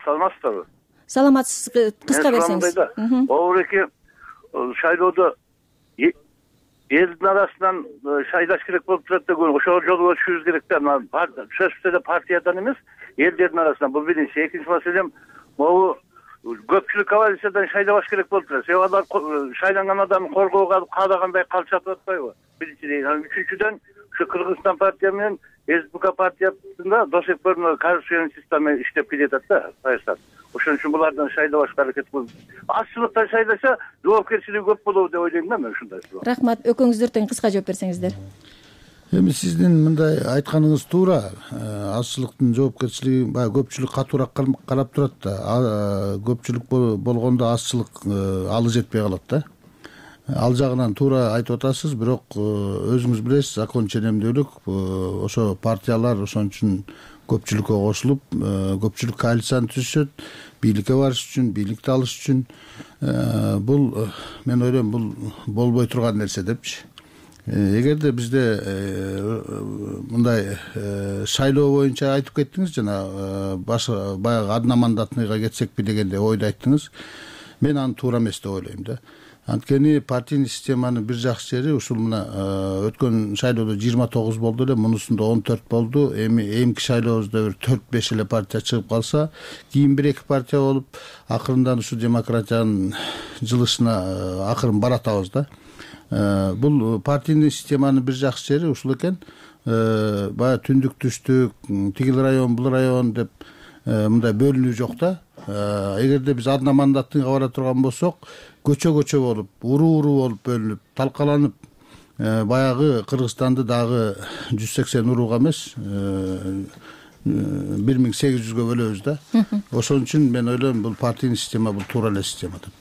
Саламатсыздарбы? Саламатсыз, кыска берсеңиз. Обуреки шайлоодо элдин арасынан шайлаш керек болуп турат деген, ошол жолго түшүрүш керек да. Сөзсүз эле партиядан эмес, элдердин арасынан. Бул биринчи. Экинчи маселем, могу көпчүлүк коалициядан шайлабаш керек болуп турат. Себеби алар шайланган адамды коргоого каалагандай калчатып атпайбы? Биринчиден. Үчүнчүдөн, ушу Кыргызстан партия менен СБК партиясында до сих пор коррупциянын система иштеп келатат да, саясат. Ошон үчүн булардан шайлабашка аракет кылып, аччылыктан шайласа, жоопкерчилиги көп болобу деп ойлойм да мен ушундай. Рахмат. Экөөңүздөр тең кыска жооп берсеңиздер. Эми сиздин мындай айтканыңыз туура. Аччылыктын жоопкерчилиги баягы көпчүлүк катуураак карап турат да. Көпчүлүк болгондо аччылык алы жетпей калат да. Ал жагынан туура айтып атасыз, бирок өзүңүз билесиз, закон ченемдүүлүк, ошо партиялар ошон үчүн көпчүлүккө кошулуп, көпчүлүк коалицияны түзүшөт, бийликке барыш үчүн, бийликти алыш үчүн. Бул мен ойлойм, бул болбой турган нерсе депчи. Эгерде бизде мындай шайлоо боюнча айтып кеттиңиз, жана баягы одномандатныйга кетсекпи дегенде ойду айттыңыз. Мен аны туура эмес деп ойлойм да. Анткени партийный системанын бир жакшы жери ушул мына өткөн шайлоодо жыйырма тогуз болду эле, мунусунда он төрт болду. Эми эмки шайлообузда бир төрт беш эле партия чыгып калса, кийин бир эки партия болуп, акырындан ушу демократиянын жылышына акырын баратабыз да. Бул партийный системанын бир жакшы жери ушул экен. Баягы түндүк түштүк, тигил район, бул район деп мындай бөлүнүү жок да. Эгерде биз одномандатныйга бара турган болсок, көчө-көчө болуп, уруу-уруу болуп бөлүнүп, талкаланып, баягы Кыргызстанды дагы жүз сексен урууга эмес, бир миң сегиз жүзгө бөлөбүз да. Ошон үчүн мен ойлойм бул партийный система бул туура эле система деп.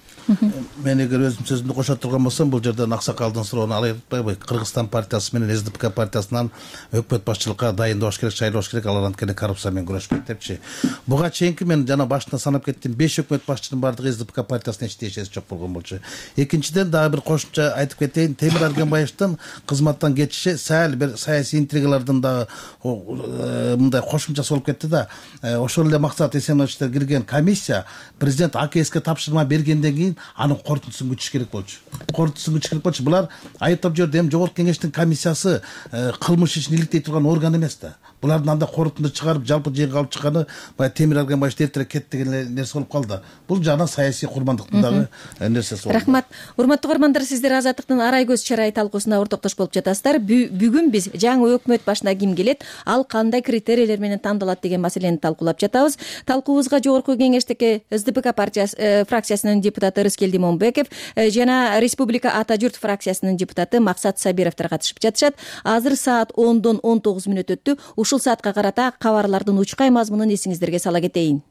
Мен эгер өзүм сөзүмдү кошо турган болсом, бул жерден аксакалдын суроону алып атпайбы? Кыргызстан партиясы менен эс ди пи ка партиясынан өкмөт башчылыкка дайындалыш керек, шайлаш керек, алар анткени коррупция менен күрөшпөйт депчи. Буга чейинки мен жана башында санап кеттим, беш өкмөт башчынын баардыгы эс ди пи ка партиясына эч тиешеси жок болгон болчу. Экинчиден дагы бир кошумча айтып кетейин, Темир Аргенбаевдин кызматтан кетиши сәл бир саясий интригалардын дагы мындай кошумчасы болуп кетти да. Ошол эле Максат Эсеновичтер кирген комиссия президент а ка эске тапшырма бергенден кийин анын корутундусун күтүш керек болчу. Корутундусун күтүш керек болчу. Булар айыптап жиберди. Эми жогорку кеңештин комиссиясы кылмыш ишин иликтей турган орган эмес да. Булардын анда корутунду чыгарып, жалпы жыйынга алып чыкканы баягы Темир Аргенбаев эртерээк кетти деген нерсе болуп калды. Бул жана саясий курмандыктын дагы нерсеси болду. Рахмат. Урматтуу угармандар, сиздер Азаттыктын Арай көз чарай талкуусуна ортоктош болуп жатасыздар. Бүгүн биз жаңы өкмөт башына ким келет, ал кандай критерийлер менен тандалат деген маселени талкуулап жатабыз. Талкуубузга жогорку кеңештеги эс ди пи ка партиясы фракциясынын депутаты Рыскелди Момбеков жана Республика Ата журт фракциясынын депутаты Максат Сабировдор катышып жатышат. Азыр саат ондон он тогуз мүнөт өттү. Ушул саатка карата кабарлардын учкай мазмунун эсиңиздерге сала кетейин.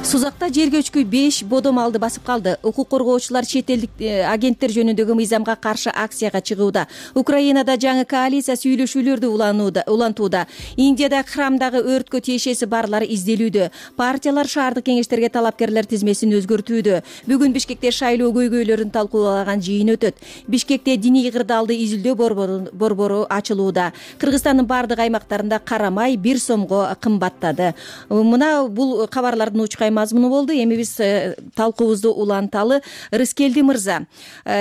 Сузакта жер көчкү беш бодом алды басып калды. Укук коргоочулар чет элдик агенттер жөнүндөгү мыйзамга каршы акцияга чыгууда. Украинада жаңы коалиция сүйлөшүүлөрдү улантууда. Индияда храмдагы өрткө тиешеси барлары изделүүдө. Партиялар шаардык кеңештерге талапкерлер тизмесин өзгөртүүдө. Бүгүн Бишкекте шайлоо көйгөйлөрүн талкуулаган жыйын өтөт. Бишкекте диний кырдаалды изилдөө борбору ачылууда. Кыргызстандын бардык аймактарында кара май бир сомго кымбаттады. Мына бул кабарлардын учкай мазмуну болду. Эми биз талкуубузду уланталы. Рыскелди мырза,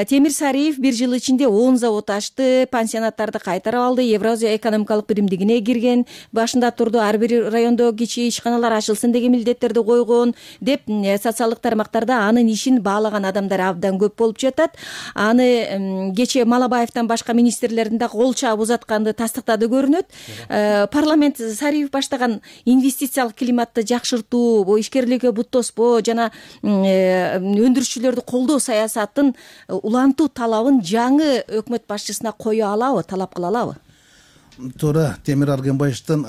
Темир Сариев бир жыл ичинде он завод ачты, пансионаттарды кайтарып алды, Евразия экономикалык биримдигине кирген, башында турду ар бир райондо кичи ишканалар ачылсын деген милдеттерди койгон деп социалдык тармактарда анын ишин баалаган адамдар абдан көп болуп жатат. Аны кечээ Малабаевден башка министрлердин да кол чаап узатканды тастыктады көрүнөт. Парламент Сариев баштаган инвестициялык климатты жакшыртуу, ишкерликке бут тоспоо жана өндүрүшчүлөрдү колдоо саясатын улантуу талабын жаңы өкмөт башчысына кое алабы, талап кыла алабы? Туура, Темир Аргенбаевдин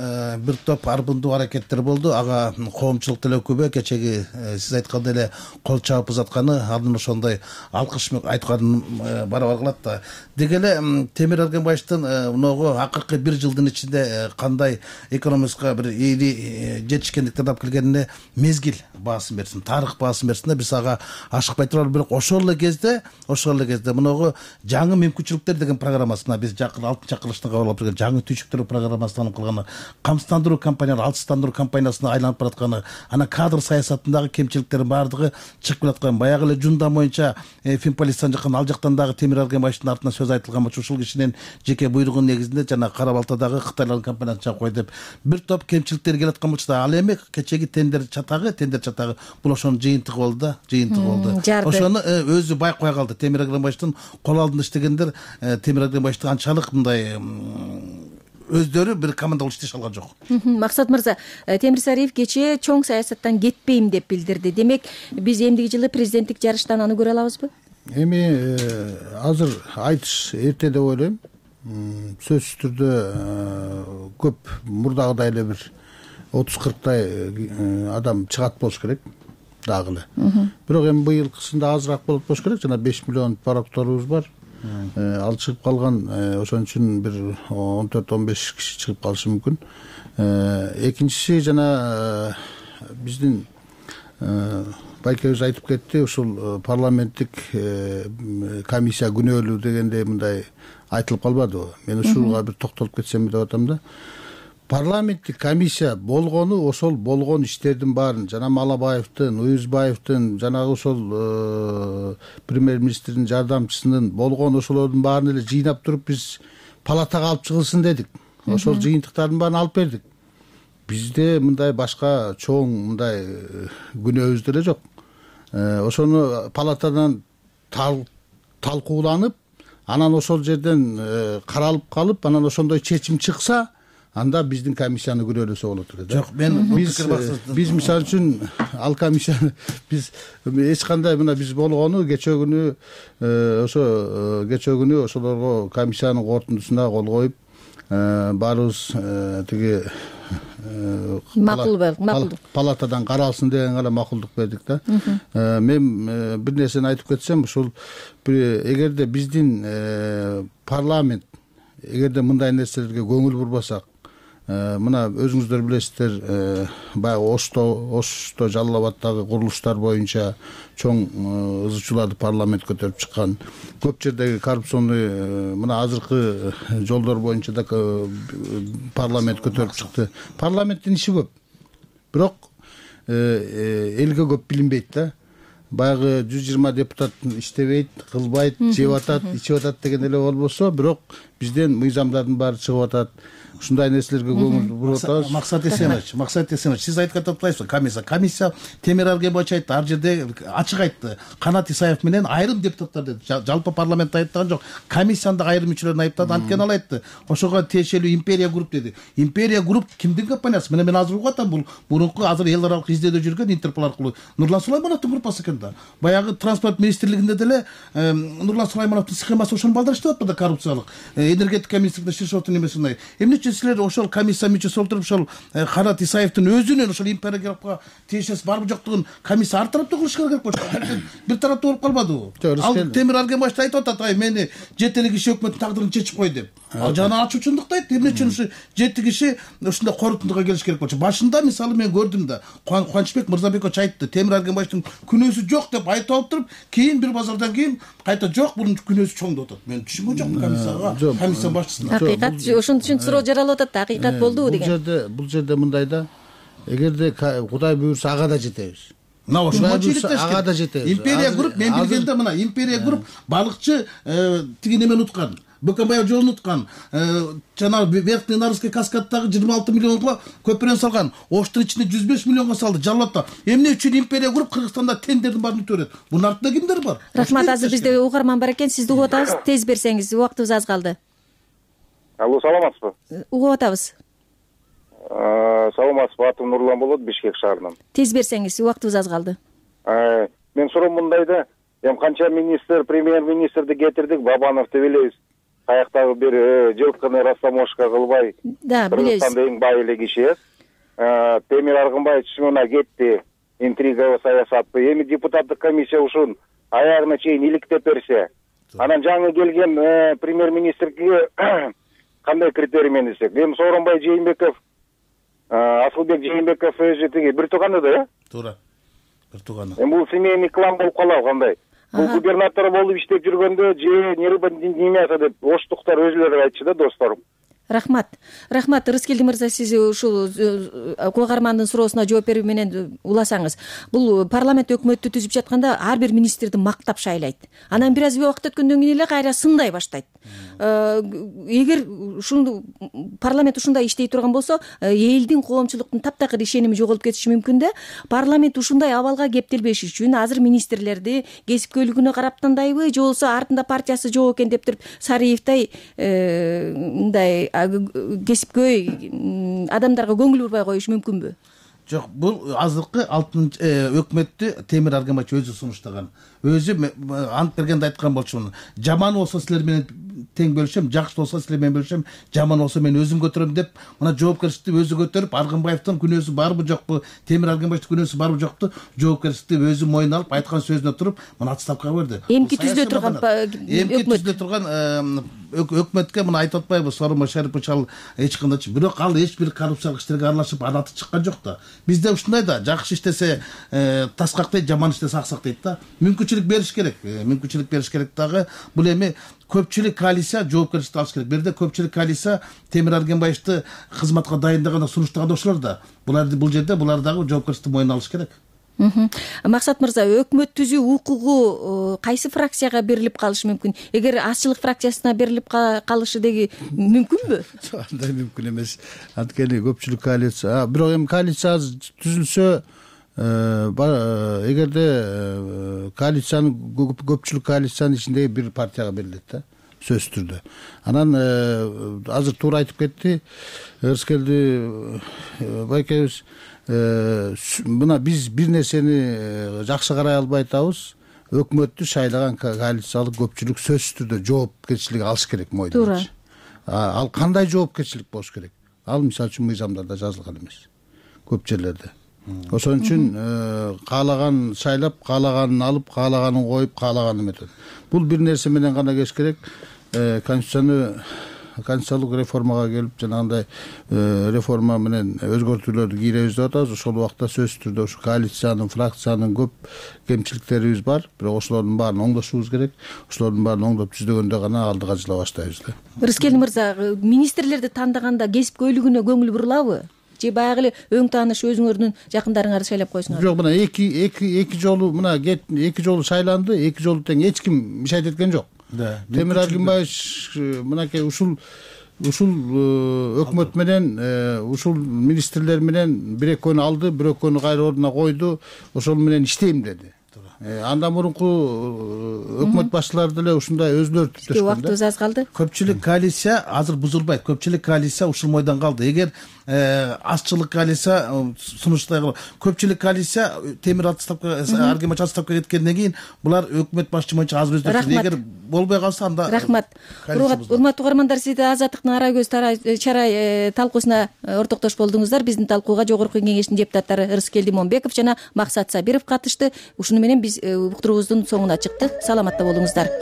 бир топ арбындуу аракеттер болду. Ага коомчулук деле күбө кечеги сиз айткандай эле кол чаап узатканы анын ошондой алкыш айтканын барабар кылат да. Деги эле Темир Аргенбаевдин мыногу акыркы бир жылдын ичинде кандай экономикага бир ийри жетишкендиктерди алып келгенине мезгил баасын берсин, тарых баасын берсин да биз ага ашыкпай туралы. Бирок ошол эле кезде, ошол эле кезде мыногу жаңы мүмкүнчүлүктөр деген программасына биз жакын алтынчы чакырылышта кабыл алып жаңы түйшүктөр программасынан кылганы, камсыздандыруу компаниялары, алсыздандыруу компаниясына айланып баратканы, ана кадр саясатындагы кемчиликтердин баардыгы чыгып келаткан. Баягы эле Жундан боюнча Финполистан жаккан, ал жактан дагы Темир Аргенбаевдин артынан сөз айтылган болчу. Ушул кишинин жеке буйругунун негизинде жана Кара Балтадагы Кытайлардын компаниясын чыгып кой деп бир топ кемчиликтер келаткан болчу да. Ал эми кечеги тендер чатагы, тендер чатагы бул ошонун жыйынтыгы болду да, жыйынтыгы болду. Ошону өзү байкой калды. Темир Аргенбаевдин кол алдында иштегендер Темир Аргенбаевди анчалык мындай өздөрү бир команда болуп иштеше алган жок. Максат мырза, Темир Сариев кечээ чоң саясаттан кетпейм деп билдирди. Демек, биз эмдиги жылы президенттик жарыштан аны көрө алабызбы? Эми азыр айтыш эрте деп ойлойм. Сөзсүз түрдө көп мурдагыдай эле бир отуз кырктай адам чыгат болуш керек дагы эле. Бирок эми быйылкысында азыраак болот болуш керек. Жана беш миллион парокторубуз бар. Ал чыгып калган, ошон үчүн бир он төрт он беш киши чыгып калышы мүмкүн. Экинчиси жана биздин байкебиз айтып кетти, ушул парламенттик комиссия күнөөлүү дегенде мындай айтылып калбадыбы? Мен ушуга бир токтолуп кетсем деп атам да. Парламенттик комиссия болгону ошол болгон иштердин баарын жана Малабаевдин, Уюзбаевдин, жанагы ошол премьер-министрдин жардамчысынын болгон ошолордун баарын эле жыйнап туруп биз палатага алып чыгылсын дедик. Ошол жыйынтыктардын баарын алып бердик. Бизде мындай башка чоң мындай күнөөбүз деле жок. Ошону палатадан талкууланып, анан ошол жерден каралып калып, анан ошондой чечим чыкса, анда биздин комиссияны күнөөлөсө болот эле. Жок, мен биз биз мисалы үчүн ал комиссияны биз эч кандай мына биз болгону кечээ күнү ошо кечээ күнү ошолорго комиссиянын корутундусуна кол коюп, баарыбыз тиги макулбу макулдук палатадан каралсын деген гана макулдук бердик да. Мен бир нерсени айтып кетсем, ушул эгерде биздин парламент эгерде мындай нерселерге көңүл бурбасак, мына өзүңүздөр билесиздер, баягы Ошто Ошто Жалал Абаддагы курулуштар боюнча чоң ызы чууларды парламент көтөрүп чыккан. Көп жердеги коррупционный мына азыркы жолдор боюнча да парламент көтөрүп чыкты. Парламенттин иши көп, бирок элге көп билинбейт да. Баягы жүз жыйырма депутат иштебейт, кылбайт, жеп атат, ичип атат деген эле болбосо, бирок бизден мыйзамдардын баары чыгып атат. Ушундай нерселерге көңүл буруп атабыз. Максат Эсенович, Максат Эсенович, сиз айтып атпайсызбы? Комиссия, комиссия Темир Арген боюнча айтты, ар жерде ачык айтты. Канат Исаев менен айрым депутаттар деди. Жалпы парламентте айттыган жок. Комиссиянын айрым мүчөлөрүн айыптады. Анткени ал айтты. Ошого тиешелүү Империя групп деди. Империя групп кимдин компаниясы? Мына мен азыр угуп атам, бул мурунку азыр эл аралык издөөдө жүргөн Интерпол аркылуу Нурлан Сулаймановдун группасы экен да. Баягы транспорт министрлигинде деле Нурлан Сулаймановдун схемасы ошону балдар иштеп атпады, коррупциялык. Энергетика министрлигинде Шишовдун эмесинде. Эмне үчүн силер ошол комиссия мүчөсү болуп туруп ошол Канат Исаевдин өзүнүн ошол Империя группка тиешеси барбы жоктугун комиссия ар тараптуу кылышкы керек болчу. Бир тараптуу болуп калбадыбы? Ал Темир Арген башта айтып атат, ай мени жети киши өкмөттүн тагдырын чечип кой деп. Ал жана ачуучундукты айтты. Эмне үчүн ушу жети киши ушундай корутундуга келиш керек болчу? Башында мисалы мен көрдүм да, Кубанычбек Мырзабекович айтты, Темир Арген баштын күнөөсү жок деп айтып алып туруп, кийин бир базардан кийин кайта жок, бунун күнөөсү чоң деп атат. Мен түшүнбөй жок комиссияга, комиссия башчысына. Акыйкат ошон үчүн суроо жаралып атат, акыйкат болдубу деген. Бул жерде бул жерде мындай да, эгерде Кудай буйрса ага да жетебиз. Мына ошого жетебиз, ага да жетебиз. Империя групп, мен билгенде мына Империя групп балыкчы тиги немени уткан. Бөкөнбаев жолун уткан, жана Верхний Нарвский каскаддагы жыйырма алты миллионго көпүрөнү салган, Оштун ичинде жүз беш миллионго салды, Жалалатта. Эмне үчүн Империя групп Кыргызстанда тендердин баарын өтө берет? Бунун артында кимдер бар? Рахмат, азыр бизде угарман бар экен, сизди угуп атабыз, тез берсеңиз, убактыбыз аз калды. Алло, саламатсызбы? Угуп атабыз. Саламатсызбы, атым Нурлан болот, Бишкек шаарынан. Тез берсеңиз, убактыбыз аз калды. Мен суроом мындайда, эми канча министр, премьер-министрди кетирдик, Бабановду билебиз. Каяктагы бир жылкыны растамошка кылбай, да, билебиз. Кыргызстанда эң бай эле киши. Темир Аргынбаев чынына кетти, интрига саясатты. Эми депутаттык комиссия ушун аягына чейин иликтеп берсе, анан жаңы келген премьер-министрге кандай критерий менен десек? Эми Сооронбай Жээнбеков, Асылбек Жээнбеков өзү тиги бир тууганы да, э? Туура. Бир тууганы. Эми бул семейный клан болуп калабы кандай? Бул губернатор болуп иштеп жүргөндө же немеса деп оштуктар өзүлөрү айтчу да, досторум. Рахмат. Рахмат, Рыскелди мырза, сиз ушул угармандын суроосуна жооп берүү менен уласаңыз. Бул парламент өкмөттү түзүп жатканда ар бир министрди мактап шайлайт. Анан бир аз убакыт өткөндөн кийин эле кайра сындай баштайт. Эгер ушуну парламент ушундай иштей турган болсо, элдин, коомчулуктун таптакыр ишеними жоголуп кетиши мүмкүн да. Парламент ушундай абалга кептелбеш үчүн азыр министрлерди кесипкөйлүгүнө карап тандайбы, же болбосо артында партиясы жок экен деп туруп Сариевдей мындай кесипкөй адамдарга көңүл бурбай коюшу мүмкүнбү? Жок, бул азыркы алтынчы өкмөттү Темир Аргенбаев өзү сунуштаган. Өзү ант бергенде айткан болчумун. Жаман болсо силер менен тең бөлүшөм, жакшы болсо силер менен бөлүшөм, жаман болсо мен өзүм көтөрөм деп, мына жоопкерчиликти өзү көтөрүп, Аргынбаевдин күнөөсү барбы жокпу, Темир Аргенбаевдин күнөөсү барбы жокпу, жоопкерчиликти өзү мойнуна алып, айткан сөзүнө туруп, мына отставкага берди. Эмки түзүлө турган эмки түзүлө турган өкмөткө мына айтып атпайбы, Сооронбай Шарипович ал эч кандай, бирок ал эч бир коррупциялык иштерге аралашып, анаты чыккан жок да. Бизде ушундай да, жакшы иштесе таскактайт, жаман иштесе аксактайт да. Мүмкүнчүлүк бериш керек, мүмкүнчүлүк бериш керек дагы. Бул эми көпчүлүк коалиция жоопкерчиликти алыш керек. Бирде көпчүлүк коалиция Темир Аргенбаевди кызматка дайындаганда сунуштаган ошолор да. Булар бул жерде булар дагы жоопкерчиликти мойнуна алыш керек. Максат мырза, өкмөт түзүү укугу кайсы фракцияга берилип калышы мүмкүн? Эгер Азчылык фракциясына берилип калышы деги мүмкүнбү? Андай мүмкүн эмес. Анткени көпчүлүк коалиция, бирок эми коалиция түзүлсө, эгерде коалициянын көпчүлүк коалициянын ичиндеги бир партияга берилет да, сөзсүз түрдө. Анан азыр туура айтып кетти Рыскелди байкебиз. Мына биз бир нерсени жакшы карай албай атабыз. Өкмөттү шайлаган коалициялык көпчүлүк сөзсүз түрдө жоопкерчилик алыш керек мойнуна. ал кандай жоопкерчилик болуш керек, ал мисалы үчүн мыйзамдарда жазылган эмес көп жерлерде. Ошон үчүн каалаган шайлап, каалаганын алып, каалаганын коюп, каалаганын эметет. Бул бир нерсе менен гана кеш керек. Конституцияны конституциялык реформага келип, жанагындай реформа менен өзгөртүүлөрдү кийребиз деп атабыз. Ошол убакта сөзсүз түрдө ушу коалициянын, фракциянын көп кемчиликтерибиз бар. Бирок ошолордун баарын оңдошубуз керек. Ошолордун баарын оңдоп түздөгөндө гана алдыга жыла баштайбыз да. Рыскелди мырза, министрлерди тандаганда кесипкөйлүгүнө көңүл бурулабы? Же баягы эле өң тааныш өзүңөрдүн жакындарыңарды шайлап койсуңар? Жок, мына эки эки эки жолу мына эки жолу шайланды, эки жолу тең эч ким мишайт эткен жок. Темир Аргимбаевич мынакей ушул ушул өкмөт менен, ушул министрлер менен бир экөөнү алды, бир экөөнү кайра ордуна койду, ошол менен иштейм деди. Андан мурунку өкмөт башчылары деле ушундай өзүлөрү түптөшкөн. Убактыбыз аз калды. Көпчүлүк коалиция азыр бузулбайт. Көпчүлүк коалиция ушул мойдон калды. Эгер азчылык коалиция сунуштай көпчүлүк коалиция Темир отставка, Аргимбаевич отставка кеткенден кийин булар өкмөт башчы боюнча аз өздөштү. Эгер болбой калса анда рахмат. Урматтуу угармандар, сиз Азаттыктын ара көз чарай талкуусуна ортоктош болдуңуздар. Биздин талкууга Жогорку Кеңештин депутаттары Рыскелди Момбеков жана Максат Сабиров катышты. Ушуну менен биз уктуруубуздун соңуна чыктык. Саламатта болуңуздар.